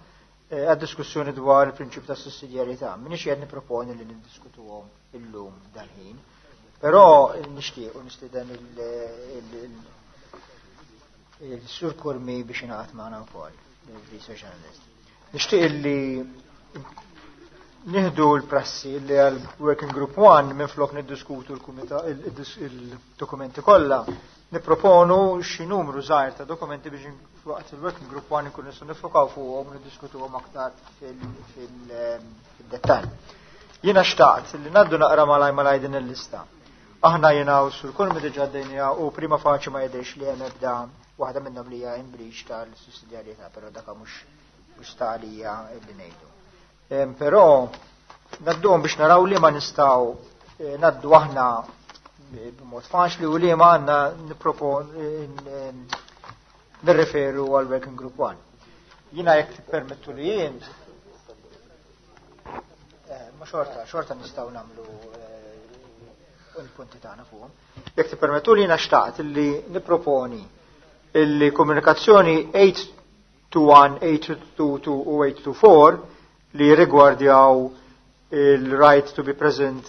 għad-diskussjoni dwar il-prinċipju ta' sussidjarjetà. M'iniex qed nipproponi li niddiskutuhom illum dal-ħin, però nixtieq u nistieden il-Sur Curmi biex ingħaqad magħna wkoll, il-research analyst. Nixtieq li nieħdu l-prassi li għal Working Group one minflok niddiskutu il-dokumenti kollha, nipproponu xi numru żgħir ta' dokumenti biex waqt il-Working Group one nkunu nistgħu nifokaw fuqhom u niddiskutuhom aktar fil-dettall. Jiena xtaqt li ngħaddu naqra malaj malaj din il-lista. Aħna jiena u Sur Curmi diġà għaddejnija u prima faċi ma jidhirx li hemm ebda waħda minnhom li hija in breach tal-sussidjarjetà, però dak mhux mhux ta' għalija li ngħidu. Però ngħadduhom biex naraw li ma nistgħu ngħaddu aħna b'mod faċli u li ma għandna nippropon nirreferu għal Working Group one. Jiena jekk tippermettu li jien, ma xorta, xorta nistgħu nagħmlu il-punti tagħna fuqhom. Jekk tippermettu li jiena xtaqt li nipproponi illi komunikazzjoni eight two one, eight two two u eight two four li rigwardjaw il-right to be present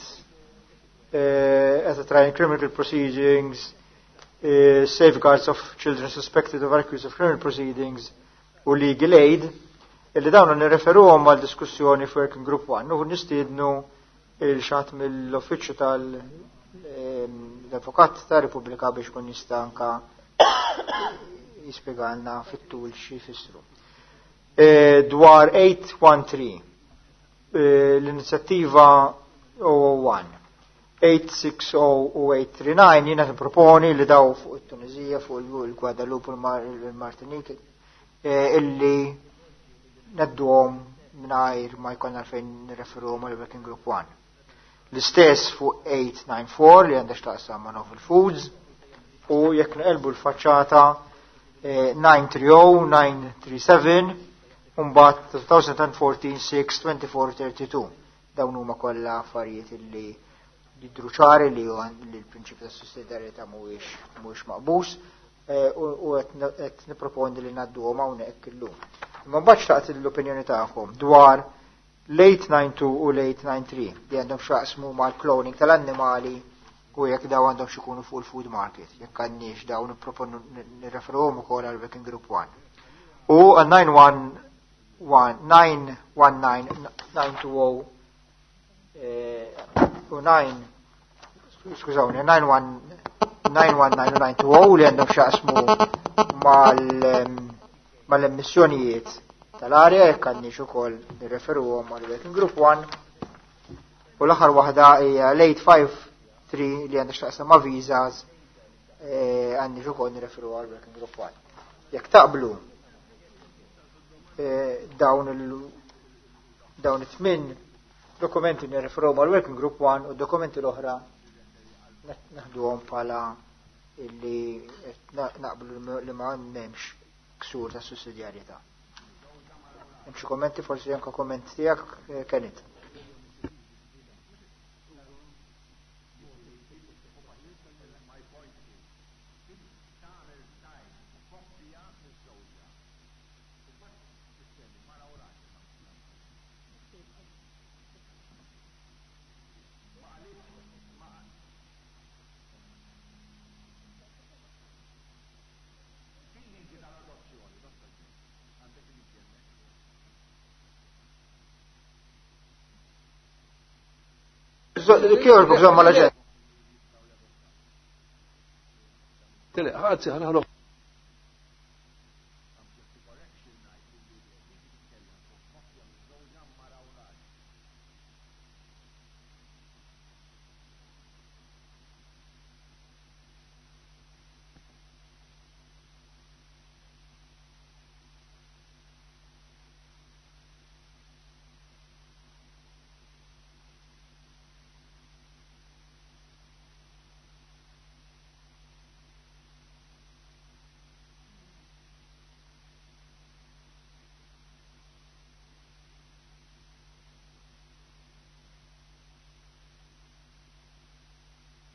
uh, at a trial in criminal proceedings, uh, safeguards of children suspected of accused of criminal proceedings u legal aid, illi dawn nirreferuhom għal diskussjoni f'Working Group one u nistiednu il-xat mill-uffiċċju tal-Avukat ta' Repubblika biex kun jista' anka jispjegalna fit-tul xi jfissru. E, dwar eight one three, e, l-inizjattiva oh one, eight six oh u eight three nine jiena nipproponi li daw fuq it-Tunizija, fuq il-Guadalupe u l-Martinique, e, illi nedduhom mingħajr ma jkollna għalfejn nirreferuhom għal Working Group one. L-istess fuq eight nine four li għandha x'taqsam ma' Novel Foods u jekk nqelbu l-faċċata, eh, nine three oh, nine three seven, u mbagħad two thousand fourteen, six, twenty-four, thirty-two. Dawn huma kollha affarijiet illi jidhru ċari li huwa li l-prinċipju ta' sussidjarjetà mhuwiex mhuwiex maqbus, eh, u, u qed nipproponi li ngħadduhom hawnhekk illum. Imma mbagħad xtaqt l-opinjoni tagħkom dwar l-eight nine two u l-eight nine three li għandhom x'jaqsmu mal-cloning tal-annimali u jekk daw għandhom x'ikunu fuq il-food market, jekk għandniex daw nipproponu nirreferuhom ukoll għal Working Group one. U għal nine one one, nine one nine, nine two oh, eh, u nine, skużawni, nine one, nine one nine u nine two oh li għandhom x'jaqsmu mal-, ehm, mal-emissjonijiet tal-arja, jekk għandniex ukoll nirreferuhom għal Working Group one. U l-aħħar waħda hija l-eight five three li għandha x'taqsam ma' visas, eh, għandniex ukoll nirreferu għal Working Group one. Jekk taqblu, eh, dawn il-, dawn it-tmien dokumenti nirreferu għal Working Group one u dokumenti l-oħra naħduhom bħala illi naqblu li ma m'hemmx ksur ta' sussidjarjetà. Hemm xi kommenti, forsi anke komment tiegħek, eh, Kenneth. Kjorbu, bżomma la ġen. Tele, għazzi, ħana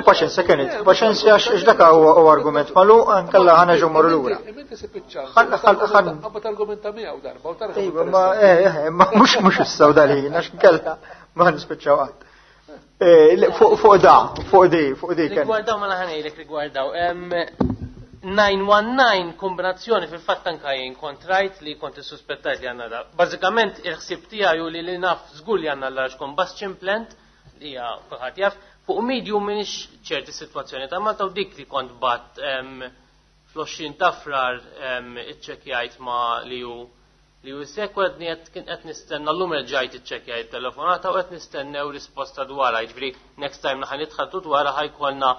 Paċenza kienet, paċenza għax għax dak huwa huwa argument malu, ankella ħana ġew marru lura. Imma se piċċa. Ħan, ħan, ħan. Qabad argumenta miegħu darba u tara. Iva, ma, eh, eh, ma mhux, mhux issa u dal-ħin, għax nkella ma nispiċċaw qatt. Eh, le, fuq, fuq da, fuq di, fuq di kien. Rigwardaw ma ħanejlek rigwardaw. Em, nine one nine kombinazzjoni fil-fatt anka jien kont rajt li kont issuspettajt li għandna da. Bażikament il-ħsieb tiegħi hu li li naf żgur li għandna large combustion plant li hija kulħadd jaf. Fuq medium minix ċerti situazzjoni ta' Malta u dik li kont bat, em, fl-għoxrin ta' frar, em, iċċekjajt ma' li hu li hu sekwa qed qed kien qed nistenna llum erġajt iċċekjajt telefonata u qed nistennew risposta dwarha, jiġifieri next time naħa nitħattu dwarha ħajkollna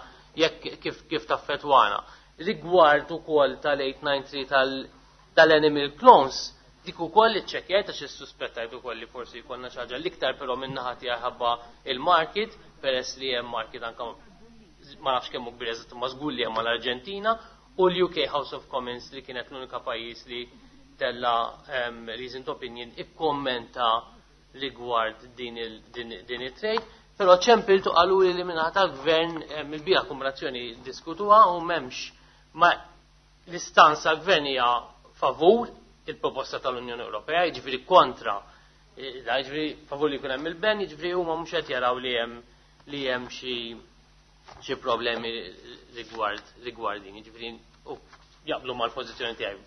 jekk kif, kif taffetwana. Rigward ukoll tal-eight nine three tal-, tal-animal clones, dik ukoll iċċekjajt għax issuspettajt ukoll li forsi jkollna xi ħaġa l-iktar però minn naħa tiegħi ħabba il-market, peress li hemm market anke ma nafx kemm hu kbir eżatt imma żgur li hemm mal-Arġentina u l-U K House of Commons li kienet l-unika pajjiż li tella, em, recent opinion ikkommenta rigward din il-, din, din it-trade, però ċempiltu qalu li minnaħa tal-gvern, em, il-bija kombinazzjoni diskutuha u m'hemmx ma l-istanza gvern hija favur il-proposta tal-Unjoni Ewropea, jiġifieri kontra Jiġifieri favur li jkun hemm il-ban, jiġifieri huma mhux qed jaraw li hemm li hemm xi xi problemi rigward rigward din, jiġifieri u jaqblu mal-pożizzjoni tiegħi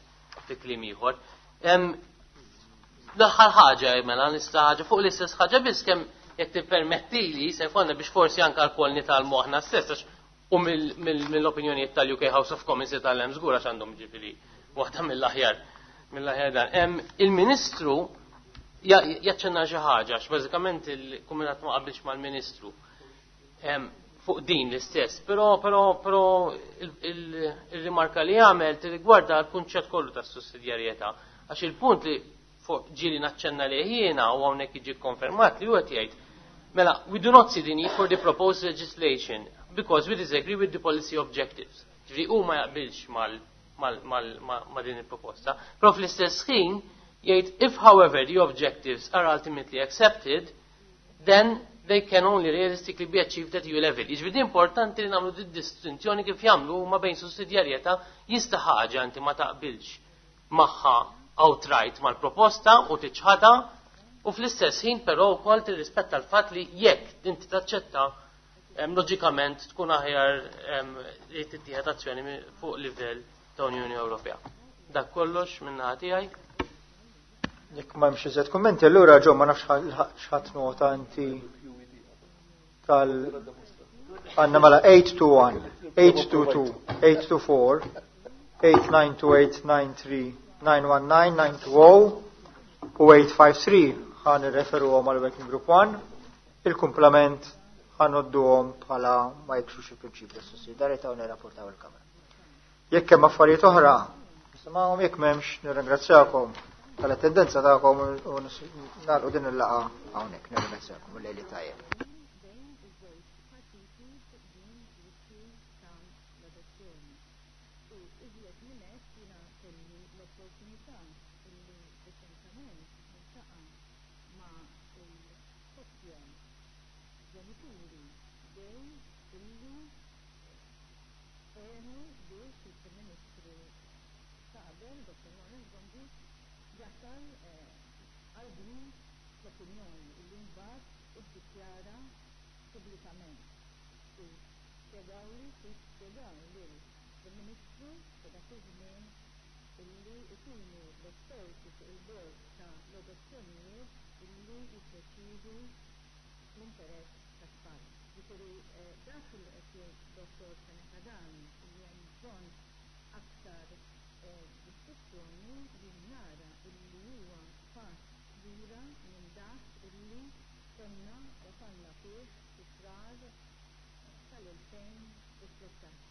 fi kliem ieħor. L-aħħar ħaġa mela nista' ħaġa fuq l-istess ħaġa biss kemm jekk tippermettili se jkollna biex forsi anke lkoll nitgħallmu aħna stess għax u mill-opinjonijiet tal-U K House of Commons jitgħallem żgur għax għandhom ġifieri waħda mill-aħjar mill-aħjar dan. Il-Ministru jaċċenna xi ħaġa għax bażikament il-Kumitat ma qabilx mal-Ministru fuq din l-istess, però però però il-rimarka li għamel tirrigwarda l-kunċett kollu tas-sussidjarjetà għax il-punt li fuq ġieli naċċenna li jiena u hawnhekk jiġi konfermat li huwa jgħid mela, we do not see the need for the proposed legislation because we disagree with the policy objectives. Ġifieri hu ma jaqbilx mal ma din il-proposta. Però fl-istess ħin jgħid, if however the objectives are ultimately accepted, then they can only realistically be achieved at E U level. Jiġifieri importanti li nagħmlu din distinzjoni kif jagħmlu ma bejn sussidjarjetà, jista' ħaġa inti ma taqbilx magħha outright mal-proposta u tiċħadha u fl-istess ħin però wkoll tirrispetta l-fatt li jekk inti taċċetta, loġikament tkun aħjar li tittieħed azzjoni fuq livell ta' Unjoni Ewropea. Dak kollox minn tiegħi. Jekk ma hemmx iżjed kummenti, allura ġo ma nafx x'ħadt nota inti tal għandna mela eight two one, eight two two, eight two four, eight nine two, eight nine three, nine one nine, nine two zero u eight five three ħa nirreferuhom għal Working Group one, il-kumplament ħa ngħodduhom bħala ma jiksrux il-prinċipju ta' sussidjarjetà u nirrapportaw il-Kamra. Jekk hemm affarijiet oħra, nisimgħuhom, jekk m'hemmx nirringrazzjakom tal-attendenza tagħkom u nagħlqu din il-laqgħa hawnhekk. Nirringrazzjakom u lejli tajjeb. Bejn iż-żewġ partiti fuq din l-issue tal-adozzjoni. U iżjed minn hekk, jiena kelli l-opportunità illi reċentament niltaqa' ma' il-koppja ġenituri gay illi għenu biex il-Prim Ministru ta' qabel, Doctor Lawrence Gonzi, jasal għal din l-opinjoni illi mbagħad iddikjara pubblikament. U spjegawli kif spjegaw lill-Prim Ministru ta' dak iż-żmien illi ikunu l-esperti fuq il-bord ta' l-adozzjonijiet illi jiddeċidu l-interess tat-tfal. Ġifieri dak li qed jgħid Dottor Fenech Adami li hemm bżonn aktar diskussjoni, li nara illi huwa pass lura minn dak illi konna wasalna fih fi Frar tal-elfejn u tlettax.